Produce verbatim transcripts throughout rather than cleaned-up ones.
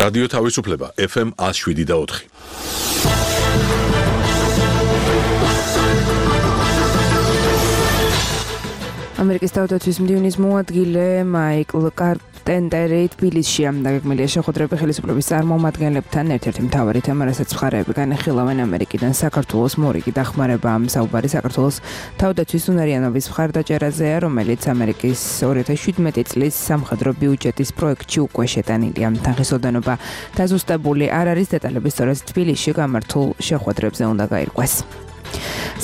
რადიო თავისუფლება ეფ ემ one oh seven და four. ამერიკის თავდაცვის მდივნის მოადგილე მაიკლ კარპენტერი თბილისშია დაგეგმილია შეხვედრები ხელისუფლების წარმომადგენლებთან. ერთ-ერთი მთავარი თემა, რასაც მხარეები განეხილავენ ამერიკიდან საქართველოს მორიგი დახმარება. ამ საუბარი საქართველოს თავდაცვის უნარიანობის მხარდაჭერაზეა, რომელიც ამერიკის two thousand seventeen წლის სამხედრო ბიუჯეტის პროექტში უკვე შეტანილია. თანხისოდენობა დაზუსტებული არ არის, დეტალები სწორედ თბილისში გამართულ შეხვედრებზე უნდა გაირკვეს.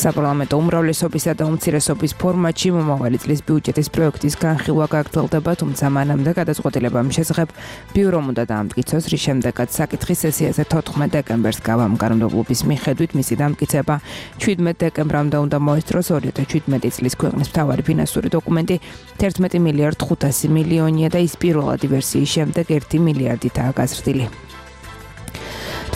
საპარლამენტო უმრავლესობისა და უმცირესობის ფორმატში მომავალი წლის ბიუჯეტის პროექტის განხილვა გაგრძელდება, თუმცა მანამდე გადაწყვეტილება მის შესახებ ბიურომ უნდა დაამტკიცოს, რის შემდეგაც საკითხის სესიაზე თოთხმეტ დეკემბერს კანონმდებლობის მიხედვით მისი დამტკიცება seventeen დეკემბრამდე უნდა მოესწროს. two thousand seventeen წლის ქვეყნის მთავარი ფინანსური დოკუმენტი one მილიარდ ხუთასი მილიონია და ის პირველადი ვერსიის შემდეგ one მილიარდითაა გაზრდილი.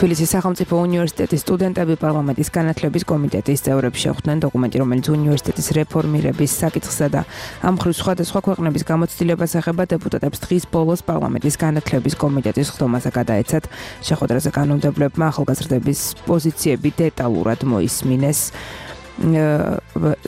თბილისის სახელმწიფო უნივერსიტეტის სტუდენტები პარლამენტის განათლების კომიტეტის წევრებს შეხვდნენ დოკუმენტი, რომელიც უნივერსიტეტის რეფორმირების საკითხსა და ამ მხრივ სხვადასხვა ქვეყნების გამოცდილებას ეხება. დეპუტატებს დღის ბოლოს პარლამენტის განათლების კომიტეტის ხდომაზე გადაეცათ. შეხვედრაზე კანონმდებლებმა ახალგაზრდების პოზიციები დეტალურად მოისმინეს.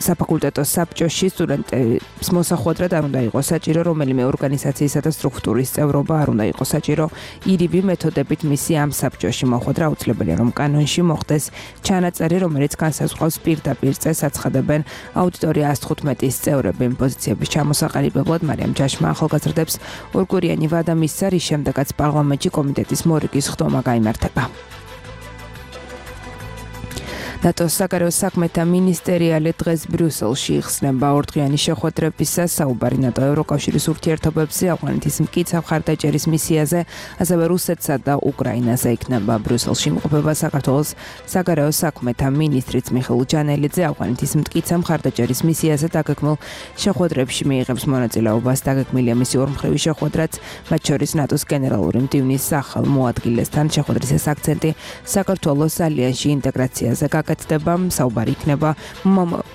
საფაკულტეტო საბჭოში სტუდენტების მოსახვედრად არ უნდა იყოს საჭირო რომელიმე ორგანიზაციისა და სტრუქტურის წევრობა, არ უნდა იყოს საჭირო ირიბი მეთოდებით მისი ამ საბჭოში მოხვედრა. აუცილებელია, რომ კანონში მოხდეს ჩანაწერი, რომელიც განსაზღვრავს პირდაპირ წესს აცხადებენ აუდიტორია one fifteen-ის წევრები. იმ პოზიციების ჩამოსაყალიბებლად მარიამ ჯაშმა ახალგაზრდებს ორკვირიანი ვადა მისცა, რის შემდეგაც პარლამენტში კომიტეტის მორიგის ხდომა გაიმართება. ნატოს საგარეო საქმეთა მინისტერიალი დღეს ბრიუსელში იხსნება ორდღიანი შეხვედრებისას. საუბარი ნატო ევროკავშირის ურთიერთობებზე, ავღანეთის მკიცავ მხარდაჭერის მისიაზე, ასევე რუსეთსა და უკრაინაზე იქნება. ბრიუსელში იმყოფება საქართველოს საგარეო საქმეთა მინისტრიც მიხეილ ჯანელიძე. ავღანეთის მკიცავ მხარდაჭერის მისიაზე დაგეგმილ შეხვედრებში მიიღებს მონაწილეობას. დაგეგმილია მისი ორმხრივი შეხვედრაც, მათ შორის ნატოს გენერალური მდივნის ახალ მოადგილესთან. შეხვედრის აქცენტი საქართველოს ალიანსში ინტეგრაციაზე გაკეთდება. საუბარი იქნება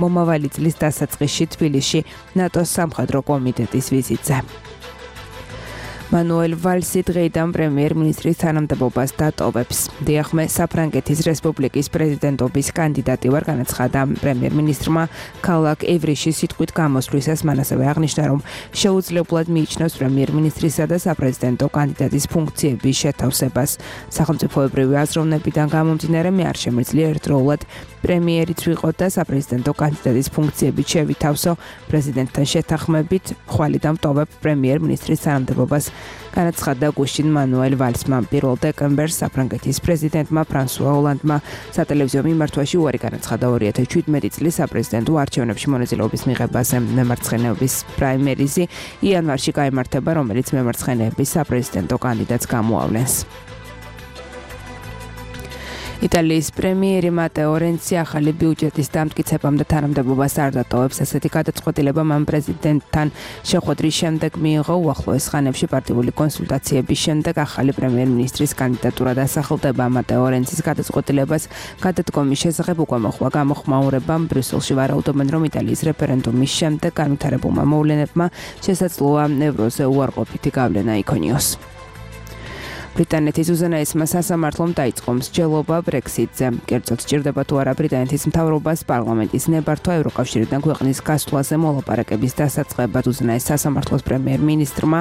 მომავალი წლის დასაწყისში თბილისში ნატოს სამხედრო კომიტეტის ვიზიტზე. მანუელ ვალსი დღეიდან პრემიერ-მინისტრის თანამდებობას დატოვებს. დიახმე, საფრანგეთის რესპუბლიკის პრეზიდენტობის კანდიდატი ვარ, განაცხადა პრემიერ-მინისტრმა ქალაქ ევრიში სიტყვით გამოსვლისას. მან ასევე აღნიშნა, რომ შეუძლებლად მიიჩნევს პრემიერ-მინისტრისა და საპრეზიდენტო კანდიდატის ფუნქციების შეთავსებას. სახელმწიფოებრივი აზროვნებიდან გამომდინარე, მე არ შემიძლია ერთდროულად პრემიერიც ვიყო და საპრეზიდენტო კანდიდატის ფუნქციებით შევითავსო. პრეზიდენტთან შეთანხმებით ხვალ დამტოვებ პრემიერ-მინისტრის თანამდებობას, განაცხადა გუშინ მანუელ ვალსმა. პირველ დეკემბერს საფრანგეთის პრეზიდენტმა ფრანსუა ოლანდმა სატელევიზიო მიმართვაში უარი განაცხადა two thousand seventeen წლის საპრეზიდენტო არჩევნებში მონაწილეობის მიღებაზე. მემარცხენეობის პრაიმერიზი იანვარში გაიმართება, რომელიც მემარცხენეების საპრეზიდენტო კანდიდატს გამოავლენს. იტალიის პრემიერი მატეო რენცი ახალი ბიუჯეტის დამტკიცებამდე თანამდებობას არ დატოვებს. ასეთი გადაწყვეტილება მან პრეზიდენტთან შეხვედრის შემდეგ მიიღო. უახლოეს ხანებში პარტიული კონსულტაციების შემდეგ ახალი პრემიერ-მინისტრის კანდიდატურა დასახელდება. მატეო რენცის გადაწყვეტილებას გადადგომის შესახებ უკვე მოხდა გამოხმაურება. ბრიუსელში ვარაუდობენ, რომ იტალიის რეფერენდუმის შემდეგ განვითარებულმა მოვლენებმა შესაძლოა ევროზე უარყოფითი გავლენა იქონიოს. ბრიტანეთის უზენაესმა სასამართლომ დაიწყო მსჯელობა ბრექსიტზე. კერძოდ სჭირდება თუ არა ბრიტანეთის მთავრობას პარლამენტის ნებართვა ევროკავშირიდან ქვეყნის გასვლაზე მოლაპარაკების დასაწყებად. უზენაეს სასამართლოს პრემიერ-მინისტრმა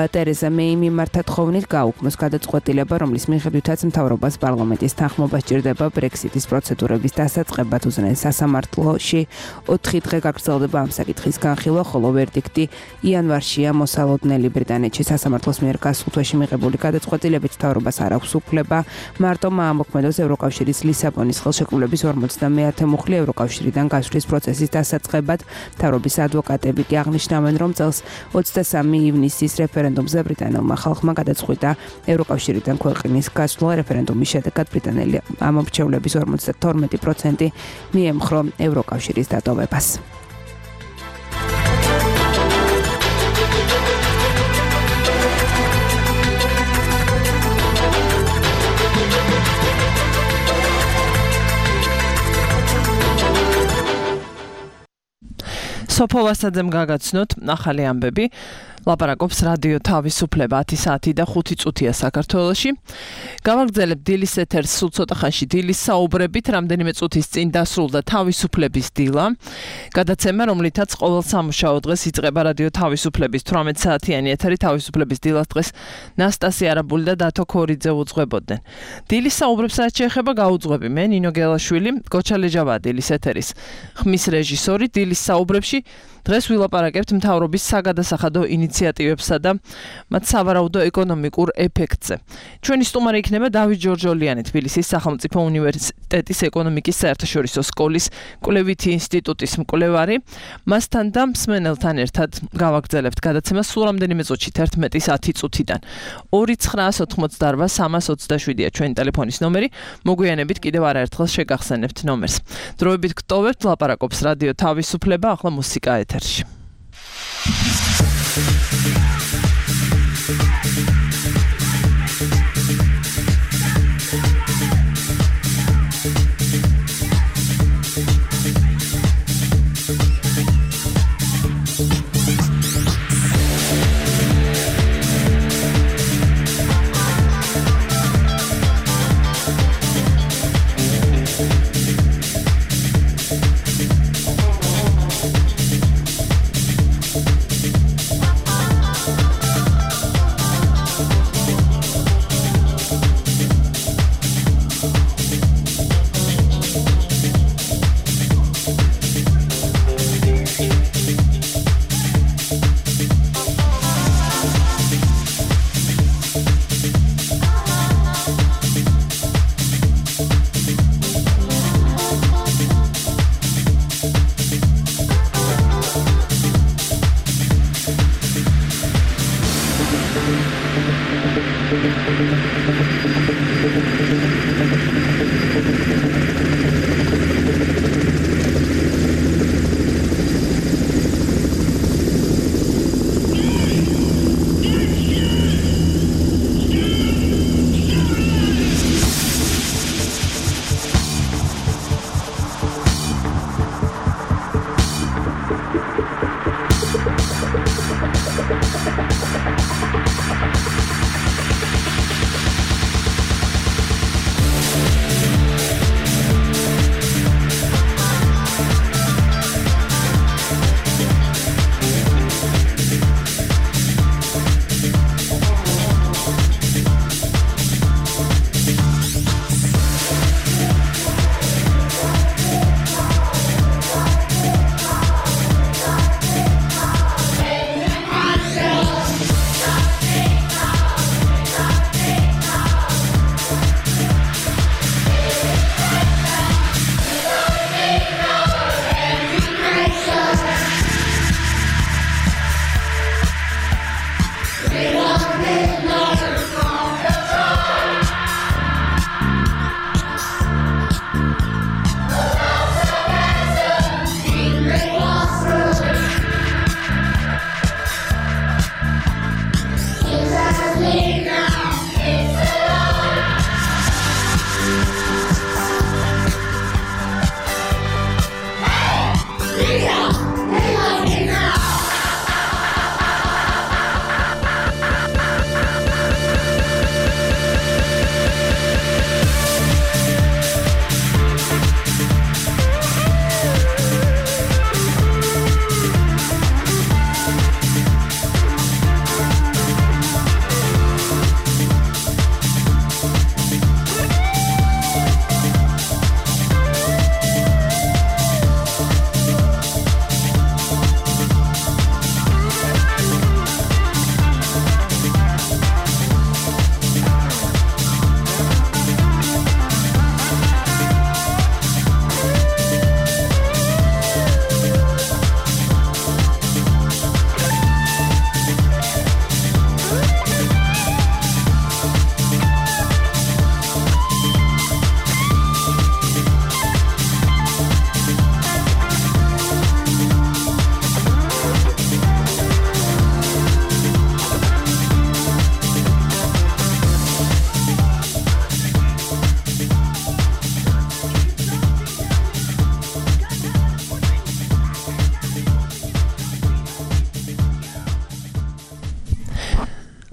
ტერეზა მეიმ მიმართა თხოვნით გაუქმოს გადაწყვეტილება, რომლის მიხედვითაც მთავრობას პარლამენტის თანხმობა სჭირდება ბრექსიტის პროცედურების დასაწყებად. უზენაეს სასამართლოში ოთხი დღე გაგრძელდება ამ საკითხის განხილვა, ხოლო ვერდიქტი იანვარშია მოსალოდნელი. ბრიტანეთში სასამართლოს მიერ გასულ თვეში მიღებული გადაწყვეტილებით მთავრობას არ აქვს უფლება მარტო მოამოქმედოს ევროკავშირის ლისაბონის ხელშეკრულების ორმოცდამეათე მუხლი ევროკავშირიდან გასვლის პროცესის დასაწყებად. მთავრობის ადვოკატები კი აღნიშნავენ, რომ წელს ოცდასამი ივნისის რეფერენდუმზე ბრიტანელმა ხალხმა გადაწყვიტა ევროკავშირიდან ქვეყნის გასვლა. რეფერენდუმის შედეგად ბრიტანელი ამომრჩევლების ორმოცდათორმეტი პროცენტი მიემხრო ევროკავშირის დატოვებას. სოფოვასაძემ გაგაცნოთ ახალი ამბები. ლაპარაკობს რადიო თავისუფლება ათი საათი და ხუთი წუთია საქართველოში. Გავაგრძელებ დილის ეთერს სულ ცოტა ხანში დილის საუბრებით, რამდენიმე წუთის წინ დასრულდა თავისუფლების დილა. გადაცემა, რომლითაც ყოველ სამუშაო დღეს იწყება რადიო თავისუფლების თვრამეტ საათიანი ეთერი თავისუფლების დილას დღეს ნასტასია არაბული და დათო ქორიძე უძღვებოდნენ. დილის საუბრებს რაც შეეხება გაუძღვები მე ნინო გელაშვილი, გოჩა ლეჯავაა დილის ეთერის ხმის რეჟისორი. დილის საუბრებში დღეს ვილაპარაკებთ მთავრობის საგადასახადო ინიციატივებსა და მათ სავარაუდო ეკონომიკურ ეფექტზე. ჩვენი სტუმარი იქნება დავით ჯორჯოლიანი, თბილისის სახელმწიფო უნივერსიტეტის ეკონომიკის საერთაშორისო სკოლის კვლევითი ინსტიტუტის მკვლევარი. მასთან და მსმენელთან ერთად გავაგრძელებთ გადაცემას სულ რამდენიმე წუთში თერთმეტის ათი წუთიდან. ორი ცხრაას ოთხმოცდაარბა სამას ოცდაშვიდია ჩვენი ტელეფონის ნომერი. მოგვიანებით კიდევ არაერთხელ შეგახსენებთ ნომერს. დროებით გტოვებთ, ლაპარაკობს რადიო თავისუფლება, ახლა მუსიკა ეთერში.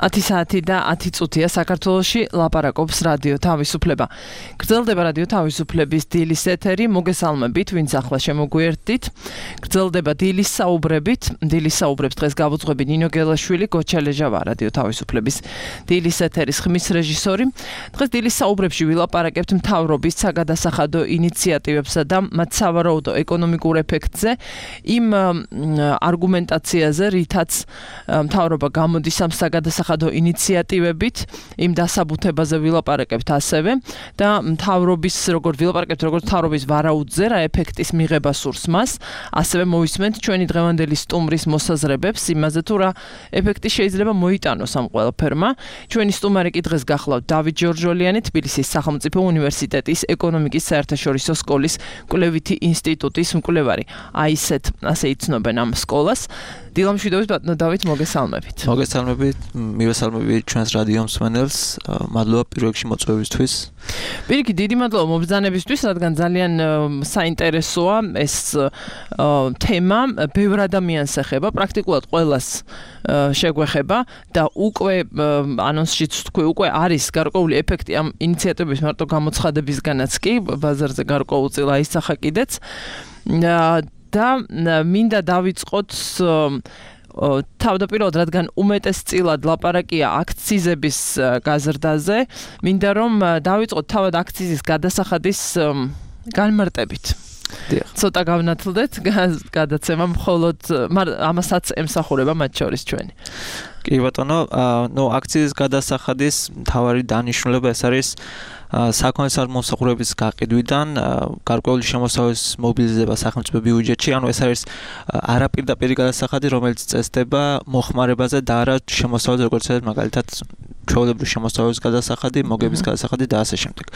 ათი საათი და ათი წუთია საქართველოში ლაპარაკობს რადიო თავისუფლება. გრძელდება რადიო თავისუფლების დილის ეთერი, მოგესალმებით, ვინც ახლა შემოგვიერთდით. გრძელდება დილის საუბრებით, დილის საუბრებს დღეს გავუძღვები ნინო გელაშვილი, გოჩა ლეჟავა რადიო თავისუფლების დილის ეთერის ხმის რეჟისორი. დღეს დილის საუბრებში ვილაპარაკებთ მთავრობის საგადასახადო ინიციატივებსა და მათ სავარაუდო ეკონომიკურ ეფექტზე, იმ არგუმენტაციაზე, რითაც მთავრობა გამოდის ამ საგადასახადო ინიციატივებით, იმ დასაბუთებაზე ვილაპარაკებთ ასევე და მთავრობის როგორ ვილაპარაკებთ როგორც მთავრობის ვარაუდზე, რა ეფექტის მიღება სურს მას, ასევე მოვისმენთ ჩვენი დღევანდელი სტუმრის მოსაზრებებს იმაზე თუ რა ეფექტი შეიძლება მოიტანოს ამ ყველაფერმა. ჩვენი სტუმარი კი დღეს გახლავთ დავით ჯორჯოლიანი, თბილისის სახელმწიფო უნივერსიტეტის ეკონომიკის საერთაშორისო სკოლის კვლევითი ინსტიტუტის მკვლევარი. აი ესეთ ასე იცნობენ ამ სკოლას. დილამშვიდობით ბატონო დავით, მოგესალმებით. მოგესალმებით, მივესალმებით ჩვენს რადიო მსმენელს. მადლობა პირველ რიგში მოწვევისთვის. პირიქით, დიდი მადლობა მობრძანებისთვის, რადგან ძალიან საინტერესოა ეს თემა, ბევრ ადამიანს ეხება, პრაქტიკულად ყველას შეგვეხება და უკვე ანონსშიც თქვი, უკვე არის გარკვეული ეფექტი ამ ინიციატივების მარტო გამოცხადებისგანაც კი, ბაზარზე გარკვეულწილ აისახა კიდეც. და მინდა დავიწყოთ თავდაპირველად, რადგან უმეტესწილად ლაპარაკია აქციზების გაზრდაზე, მინდა რომ დავიწყოთ თავად აქციზის გადასახადის განმარტებით. ცოტა გავნათლდეთ გადაცემა, მხოლოდ ამასაც ემსახურება მათ შორის ჩვენი. კი ბატონო, ნუ აქციზის გადასახადის მთავარი დანიშნულება ეს არის საქონლის მომსახურების გაყიდვიდან გარკვეული შემოსავალის მობილიზება სახელმწიფო ბიუჯეტში, ანუ ეს არის არაპირდაპირი გადასახადი, რომელიც წესდება მოხმარებაზე და არა შემოსავალს, როგორც არის მაგალითად ჩვეულებრივი შემოსავალის გადასახადი, მოგების გადასახადი და ასე შემდეგ.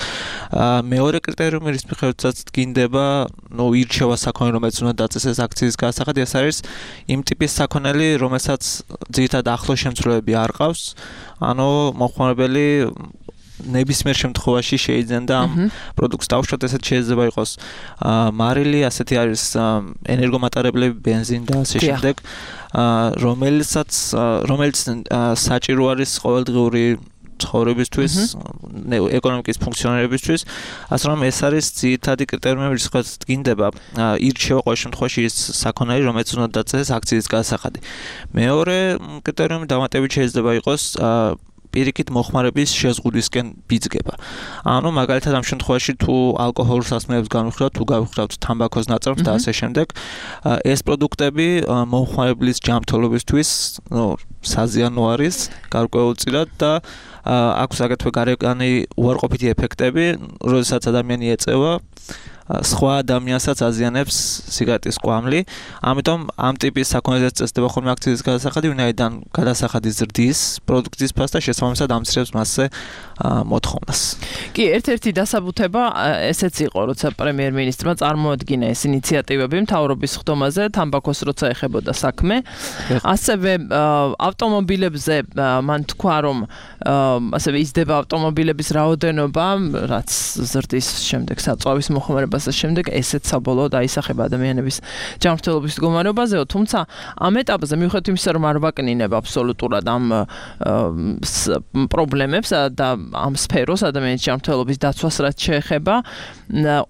მეორე კრიტერიუმი, რის მიხედვითაც გინდება, ნუ ირჩევა საქონელი, რომელიც უნდა დაწესდეს აქციის გადასახადი, ეს არის იმ ტიპის საქონელი, რომელსაც ძირითადად ახლო შემცველები არ ყავს, ანუ მოხმარებელი ნებისმიერ შემთხვევაში შეიძლება ამ პროდუქტს დავუშვათ, ესეც შეიძლება იყოს მარილი, ასეთი არის ენერგომატარებლები, ბენზინი და ასე შემდეგ, რომელსაც რომელიც საჭირო არის ყოველდღიური ცხოვრებისთვის, ეკონომიკის ფუნქციონირებისთვის, ასე რომ ეს არის ძირითადი კრიტერიუმი, რისთვისაც გინდება ირჩევა ყოველ შემთხვევაში ის საქონელი, რომელიც უნდა დაწესდეს აქციის გადასახადი. მეორე კრიტერიუმი დამატებით შეიძლება იყოს პირიქით მოხმარების შეზღუდვისკენ ბიძგება. ანუ მაგალითად ამ შემთხვევაში თუ ალკოჰოლურ სასმელებს განვიხილავთ, თუ გავიხილავთ თამბაქოს ნაწარმს და ასე შემდეგ, ეს პროდუქტები მომხმარებლის ჯანმრთელობისთვის, ნუ საზიანო არის გარკვეულწილად და აქვს აგრეთვე გარეგანი უარყოფითი ეფექტები, როდესაც ადამიანი ეწევა სხვა ადამიანსაც აზიანებს სიგარეტის კვამლი. ამიტომ ამ ტიპის საქონელზე წესდება ხოლმე აქციის გადასახადი, ვინაიდან გადასახადი ზრდის პროდუქტის ფასს და შესაბამისად ამცირებს მასზე მოთხოვნას. კი, ერთ-ერთი დასაბუთება ესეც იყო, როცა პრემიერ-მინისტრმა წარმოადგინა ეს ინიციატივები მთავრობის ხდომაზე, თამბაქოს როცა ეხებოდა საქმე. ასევე ავტომობილებზე მან თქვა, რომ ასევე იზრდება ავტომობილების რაოდენობა, რაც ზრდის შემდეგ საწვავის მოხმარება შემდეგ ესეც საბოლოოდ აისახება ადამიანების ჯანმრთელობის მდგომარეობაზეო, თუმცა ამ ეტაპზე მიუხედავად იმისა, რომ არ ვაკნინებ აბსოლუტურად ამ პრობლემებს და ამ სფეროს ადამიანის ჯანმრთელობის დაცვას რაც შეეხება,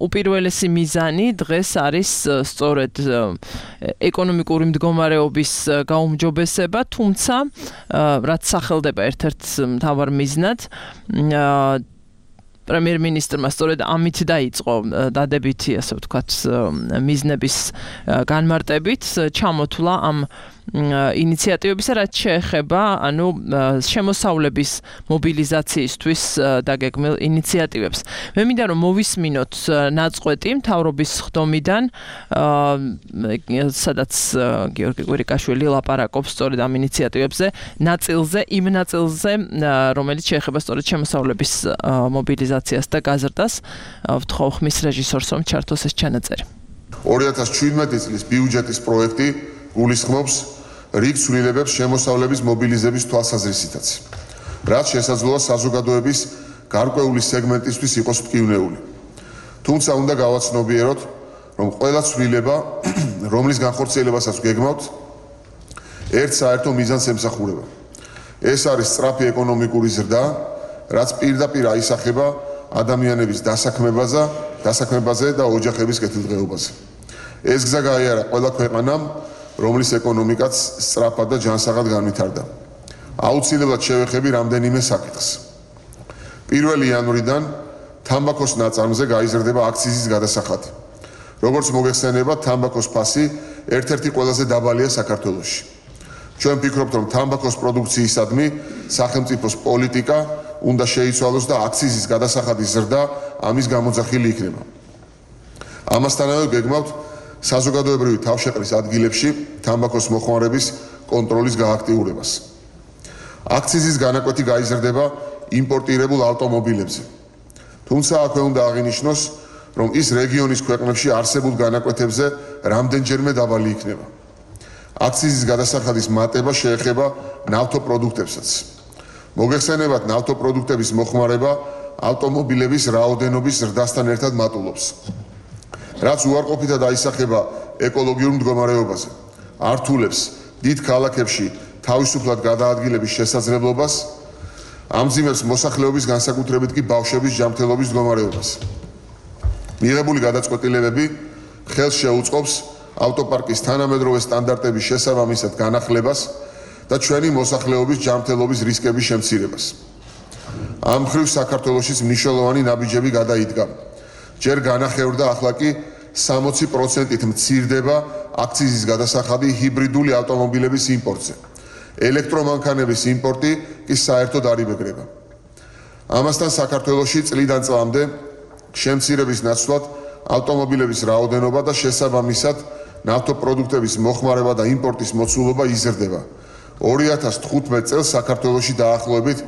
უპირველესი მიზანი დღეს არის სწორედ ეკონომიკური მდგომარეობის გაუმჯობესება, თუმცა რაც სახელდება ერთ-ერთ მთავარ მიზნად პრემიერ-მინისტრმა სწორედ ამით დაიწყო დადებითი, ასე ვთქვათ, მიზნების განმარტებით ჩამოთვლა ამ ინიციატივებისა, რაც შეეხება, ანუ შემოსავლების მობილიზაციისთვის დაგეგმილ ინიციატივებს. მე მინდა რომ მოვისმინოთ ნაწყვეტი მთავრობის ხდომიდან, სადაც გიორგი კვირიკაშვილი ლაპარაკობს სწორედ ამ ინიციატივებზე, ნაწილზე, იმ ნაწილზე, რომელიც შეეხება სწორედ შემოსავლების მობილიზაციას და გაზრდას. ვთხოვ ხმის რეჟისორს, რომ ჩართოს ეს ჩანაწერი. ორი ათას ჩვიდმეტი წლის ბიუჯეტის პროექტი გულისხმობს რიგ ცვლილებებს შემოსავლების მობილიზების თვალსაზრისითაც, რაც შესაძლოა საზოგადოების გარკვეული სეგმენტისთვის იყოს მტკივნეული. თუმცა უნდა გავაცნობიეროთ, რომ ყველა ცვლილება, რომლის განხორციელებასაც გეგმავთ, ერთ საერთო მიზანს ემსახურება. ეს არის სწრაფი ეკონომიკური ზრდა, რაც პირდაპირ აისახება ადამიანების დასაქმებაზე, დასაქმებაზე და ოჯახების კეთილდღეობაზე. ეს გზა გაიარა ყველა ქვეყანამ, რომლის ეკონომიკაც სწრაფად და ჯანსაღად განვითარდა. აუცილებლად შევეხები რამდენიმე საკითხს. პირველი იანვრიდან თამბაქოს ნაწარმზე გაიზრდება აქციზის გადასახადი. როგორც მოგეხსენებათ, თამბაქოს ფასი ერთ-ერთი ყველაზე დაბალია საქართველოში. ჩვენ ვფიქრობთ, რომ თამბაქოს პროდუქციისადმი სახელმწიფოს პოლიტიკა უნდა შეიცვალოს და აქციზის გადასახადის ზრდა ამის გამოძახილი იქნება. ამასთანავე გეგმავთ საზოგადოებრივი თავშეყრის ადგილებში თამბაქოს მოხმარების კონტროლის გააქტიურებას. აქციზის განაკვეთი გაიზრდება იმპორტირებულ ავტომობილებზე. თუმცა აქვე უნდა აღინიშნოს, რომ ის რეგიონის ქვეყნებში არსებულ განაკვეთებზე რამდენჯერმე დაბალი იქნება. აქციზის გადასახადის მატება შეეხება ნავთობპროდუქტებსაც. მოგეხსენებათ, ნავთობპროდუქტების მოხმარება ავტომობილების რაოდენობის ზრდასთან ერთად მატულობს. რაც უარყოფითად აისახება ეკოლოგიურ მდგომარეობაზე, ართულებს დიდ ქალაქებში თავისუფლად გადაადგილების შესაძლებლობას, ამძიმებს მოსახლეობის განსაკუთრებით კი ბავშვების ჯანმრთელობის მდგომარეობას. მიღებული გადაწყვეტილებები ხელს შეუწყობს ავტოპარკის თანამედროვე სტანდარტების შესაბამისად განახლებას და ჩვენი მოსახლეობის ჯანმრთელობის რისკების შემცირებას. ამ მხრივ საქართველოშიც მნიშვნელოვანი ნაბიჯები გადაიდგა. ჯერ განახევრდა, ახლა კი სამოცი პროცენტით მცირდება აქციზის გადასახადი ჰიბრიდული ავტომობილების იმპორტზე. ელექტრომანქანების იმპორტი კი საერთოდ არ იბეგრება. ამასთან საქართველოში წლიდან წლამდე შემცირების ნაცვლად ავტომობილების რაოდენობა და შესაბამისად ნავთობპროდუქტების მოხმარება და იმპორტის მოცულობა იზრდება. ორი ათას თხუთმეტ წელს საქართველოში დაახლოებით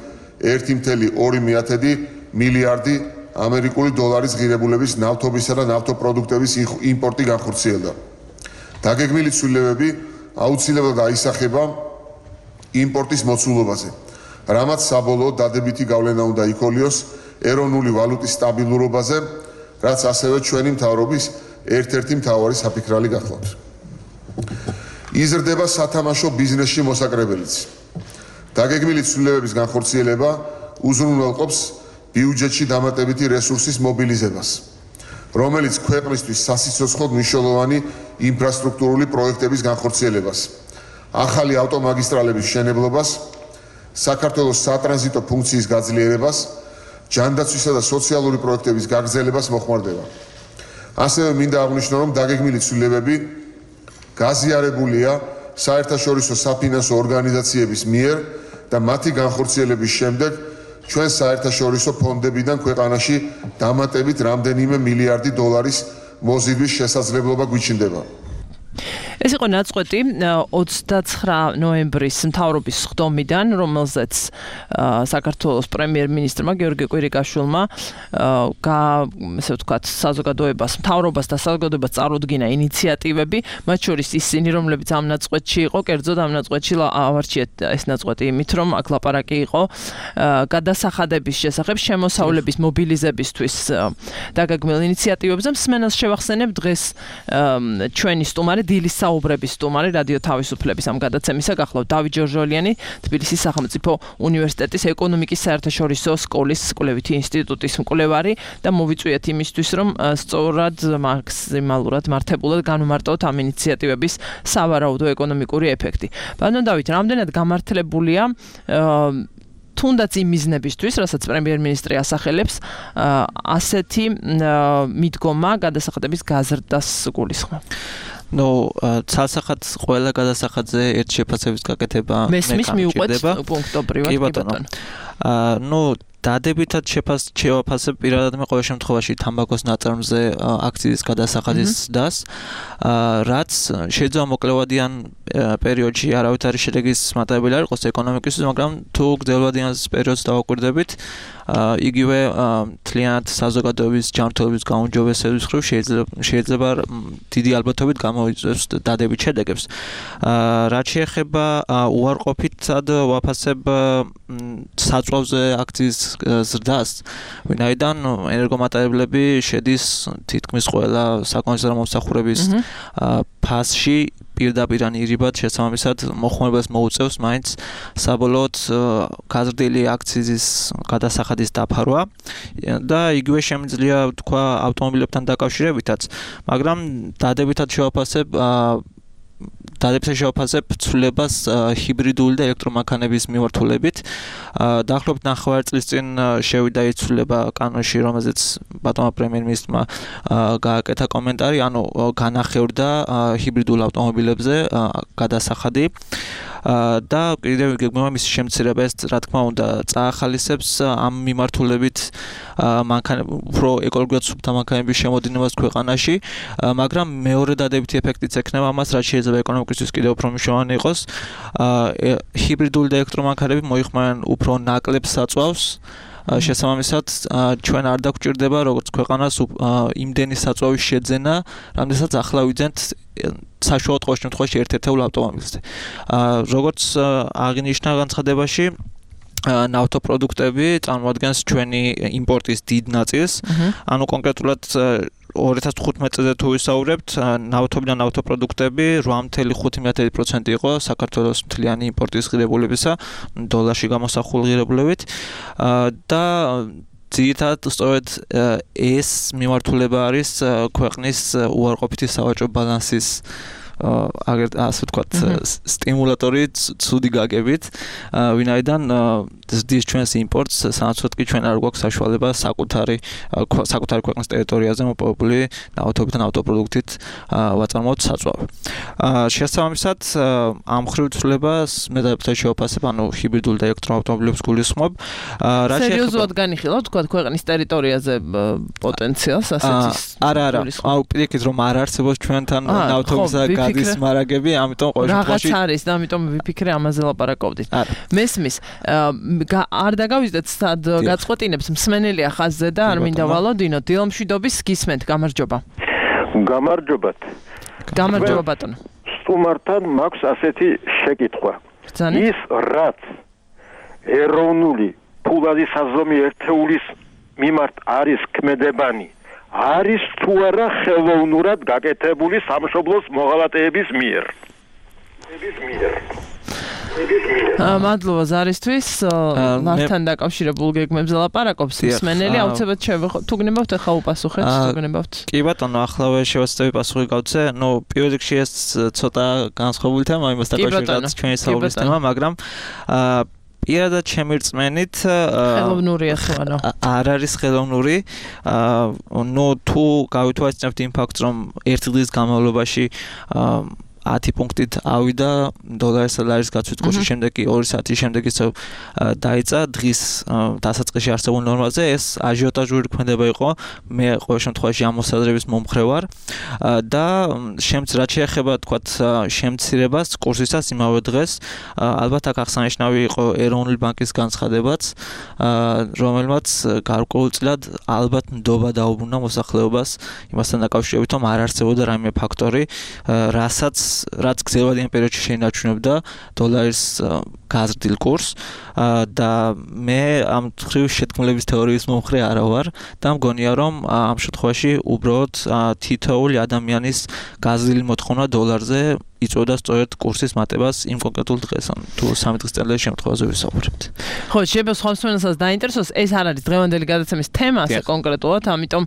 ერთი კoma ორი მილიარდი ამერიკული დოლარის ღირებულების ნავთობისა და ნავთობპროდუქტების იმპორტი განხორციელდა. დაგეგმილი ცვლილებები აუცილებლად აისახება იმპორტის მოცულობაზე, რამაც საბოლოოდ დადებითი გავლენა უნდა იქოლიოს ეროვნული ვალუტის სტაბილურობაზე, რაც ასევე ჩვენი მთავრობის ერთ-ერთი მთავარი საფიქრალი გახლავთ. იზრდება სათამაშო ბიზნესში მოსაკრებელიც. დაგეგმილი ცვლილებების განხორციელება უზრუნველყოფს ბიუჯეტში დამატებითი რესურსის მობილიზებას, რომელიც ქვეყნისთვის სასიცოცხლოდ მნიშვნელოვანი ინფრასტრუქტურული პროექტების განხორციელებას, ახალი ავტომაგისტრალების მშენებლობას, საქართველოს სატრანზიტო ფუნქციის გაძლიერებას, ჯანდაცვისა და სოციალური პროექტების გაგრძელებას მოხმარდება. ასევე მინდა აღვნიშნო, რომ დაგეგმილი ცვლილებები გაზიარებულია საერთაშორისო საფინანსო ორგანიზაციების მიერ და მათი განხორციელების შემდეგ ჩვენ საერთაშორისო ფონდებიდან ქვეყანაში დამატებით რამდენიმე მილიარდი დოლარის მოზიდვის შესაძლებლობა გვიჩნდება. ეს იყო ნაწყვეტი ოცდაცხრა ნოემბრის მთავრობის სხდომიდან, რომელზეც საქართველოს პრემიერ-მინისტრმა გიორგი კვირიკაშვილმა ესე ვთქვათ, საზოგადოებას, მთავრობას და საზოგადოებას წარუდგინა ინიციატივები, მათ შორის ისინი, რომლებიც ამ ნაწყვეტში იყო, კერძოდ ამ ნაწყვეტში ავარჩიეთ ეს ნაწყვეტი იმით, რომ აქ ლაპარაკი იყო გადასახადების შესახებ შემოსავლების მობილიზებისთვის დაგეგმილ ინიციატივებზე. მსმენელს შევახსენებ დღეს ჩვენი სტუმარი დილის საუბრების სტუმარი რადიო თავისუფლების ამ გადაცემისა გახლავთ დავით ჯორჟოლიანი, თბილისის სახელმწიფო უნივერსიტეტის ეკონომიკის საერთაშორისო სკოლის კვლევითი ინსტიტუტის მკვლევარი და მოვიწვიეთ იმისთვის, რომ სწორად მაქსიმალურად მართებულად განვმარტოთ ამ ინიციატივების სავარაუდო ეკონომიკური ეფექტი. ბატონ დავით, რამდენად გამართლებულია თუნდაც იმ მიზნებისთვის, რასაც პრემიერ-მინისტრი ასახელებს, ასეთი მიდგომა გადასახადების გაზრდას გულისხმობ. ნუ ცალსახად ყველა გადასახადზე ერთ შეფასების გაკეთება მესმის მიუყვეთ პუნქტობრივად კი ბატონო. ნუ დადებითად შევაფასებ პირადად მე ყოველ შემთხვევაში თამბაქოს ნაწარმზე აქციის გადასახადის დას, რაც შეიძლება მოკლევადიან პერიოდში არავით არის შედეგის მატარებელი არ იყოს ეკონომიკისთვის, მაგრამ თუ გრძელვადიან პერიოდს დავაკვირდებით, იგივე თლიანად საზოგადოების ჯანმრთელობის გაუმჯობესების მხრივ შეიძლება დიდი ალბათობით გამოიწვევს დადებით შედეგებს. რაც შეეხება უარყოფითად ვაფასებ საწვავზე აქციის ზრდას, ვინაიდან ენერგომატარებლები შედის თითქმის ყველა საკონსერვო მომსახურების ფასში პირდაპირ ან ირიბად შესაბამისად მოხმარებელს მოუწევს მაინც საბოლოოდ გაზრდილი აქციზის გადასახადის დაფარვა და იგივე შემიძლია თქვა ავტომობილებთან დაკავშირებითაც, მაგრამ დადებითად შევაფასებ დადებითად შევაფასებ ცვლილებას ჰიბრიდული და ელექტრომანქანების მიმართულებით. დაახლოებით ნახევარი წლის წინ შევიდა იცვლილება კანონში, რომელზეც ბატონმა პრემიერ-მინისტრმა გააკეთა კომენტარი, ანუ განახევრდა ჰიბრიდულ ავტომობილებზე გადასახადი. და კიდევ გეგმება მისი შემცირება, ეს რა თქმა უნდა წაახალისებს ამ მიმართულებით უფრო ეკოლოგიურად სუფთა მანქანების შემოდინებას ქვეყანაში, მაგრამ მეორე დადებითი ეფექტიც ექნება ამას, რაც შეიძლება ეკონომიკისთვის კიდევ უფრო მნიშვნელოვანი იყოს. ჰიბრიდული და ელექტრომანქანები მოიხმარენ უფრო ნაკლებ საწვავს. შესაბამისად ჩვენ არ დაგვჭირდება როგორც ქვეყანას იმდენი საწვავის შეძენა, რამდენსაც ახლა ვიძენთ საშუალოდ ყოველ შემთხვევაში ერთ-ერთეულ ავტომობილზე. როგორც აღინიშნა განცხადებაში, ნავთობპროდუქტები წარმოადგენს ჩვენი იმპორტის დიდ ნაწილს, ანუ კონკრეტულად ორი ათას თხუთმეტ წელზე თუ ვისაუბრებთ, ნავთობი და ნავთობპროდუქტები რვა წელს ხუთი პროცენტი იყო საქართველოს მთლიანი იმპორტის ღირებულებისა, დოლარში გამოსახული ღირებულებით და ძირითადად სწორედ ეს მიმართულება არის ქვეყნის უარყოფითი სავაჭრო ბალანსის აგერ ასე ვთქვათ სტიმულატორი ცუდი გაგებით, ვინაიდან ზრდის ჩვენს იმპორტს, სანაცვლოდ კი ჩვენ არ გვაქვს საშუალება საკუთარი საკუთარი ქვეყნის ტერიტორიაზე მოპოვებული ნავთობით და ნავთობპროდუქტით ვაწარმოოთ საწვავი. შესაბამისად, ამ მხრივ ცვლილებას მე დადებითად შევაფასებ, ანუ ჰიბრიდულ და ელექტროავტომობილებს გულისხმობ. რა სერიოზულად განიხილავთ, თქვათ, ქვეყნის ტერიტორიაზე პოტენციალს ასეთის? არა, არა. აუ პირიქით რომ არ არსებობს ჩვენთან ნავთობისა გადის მარაგები, ამიტომ ყოველ შემთხვევაში რაღაც არის და ამიტომ ვიფიქრე ამაზე ლაპარაკობდით. მესმის არ დაგავიძდეთ სად გაწყვეტინებს მსმენელია ხაზზე და არ მინდა ვალოდინოთ. დილამშვიდობის გისმენთ, გამარჯობა. გამარჯობათ. გამარჯობა ბატონო. სტუმართან მაქვს ასეთი შეკითხვა. ის რაც ეროვნული ფულადი საზომი ერთეულის მიმართ არის ქმედებანი, არის თუ არა ხელოვნურად გაკეთებული სამშობლოს მოღალატეების მიერ. მადლობა ზარისთვის, მართთან დაკავშირებულ გეგმებზე ლაპარაკობს მსმენელი, აუცილებლად შევეხო. თუ გნებავთ ახლა უპასუხეთ, თუ გნებავთ. კი ბატონო, ახლა შევეცდები პასუხი გავცე. ნუ პირველ რიგში ეს ცოტა განსხვავებული თემა, იმას დაკავშირებით ჩვენი საუბრის თემა, მაგრამ პირადად ჩემი რწმენით ხელოვნურია თუ არა? არ არის ხელოვნური. ნუ თუ გავითვალისწინებთ იმ ფაქტს, რომ ერთი დღის განმავლობაში ათი პუნქტით ავიდა დოლარის და ლარის გაცვლის კურსის შემდეგ კი ორი საათის შემდეგ ისევ დაიწყა დღის დასაწყისში არსებულ ნორმაზე. ეს აჟიოტაჟური ქმედება იყო. მე ყოველ შემთხვევაში ამ მოსაზრების მომხრე ვარ და შემც რაც შეეხება თქვათ შემცირებას კურსისას იმავე დღეს, ალბათ აქ აღსანიშნავი იყო ეროვნული ბანკის განცხადებაც, რომელმაც გარკვეულწილად ალბათ ნდობა დაუბრუნდა მოსახლეობას იმასთან დაკავშირებით, რომ არ არსებობდა რაიმე ფაქტორი, რასაც რაც გრძელვადიან პერიოდში შეინარჩუნებდა დოლარის გაზრდილ კურსს და მე ამ მხრივ შეთქმულების თეორიის მომხრე არა ვარ და მგონია რომ ამ შემთხვევაში უბრალოდ თითოეული ადამიანის გაზრდილი მოთხოვნა დოლარზე იწვევდა სწორედ კურსის მატებას იმ კონკრეტულ დღეს, ან თუ სამი დღის წელიწადის შემთხვევაზე ვისაუბრებთ. ხო, შეიძლება სხვა მსმენელსაც დაინტერესოს, ეს არ არის დღევანდელი გადაცემის თემა ასე კონკრეტულად, ამიტომ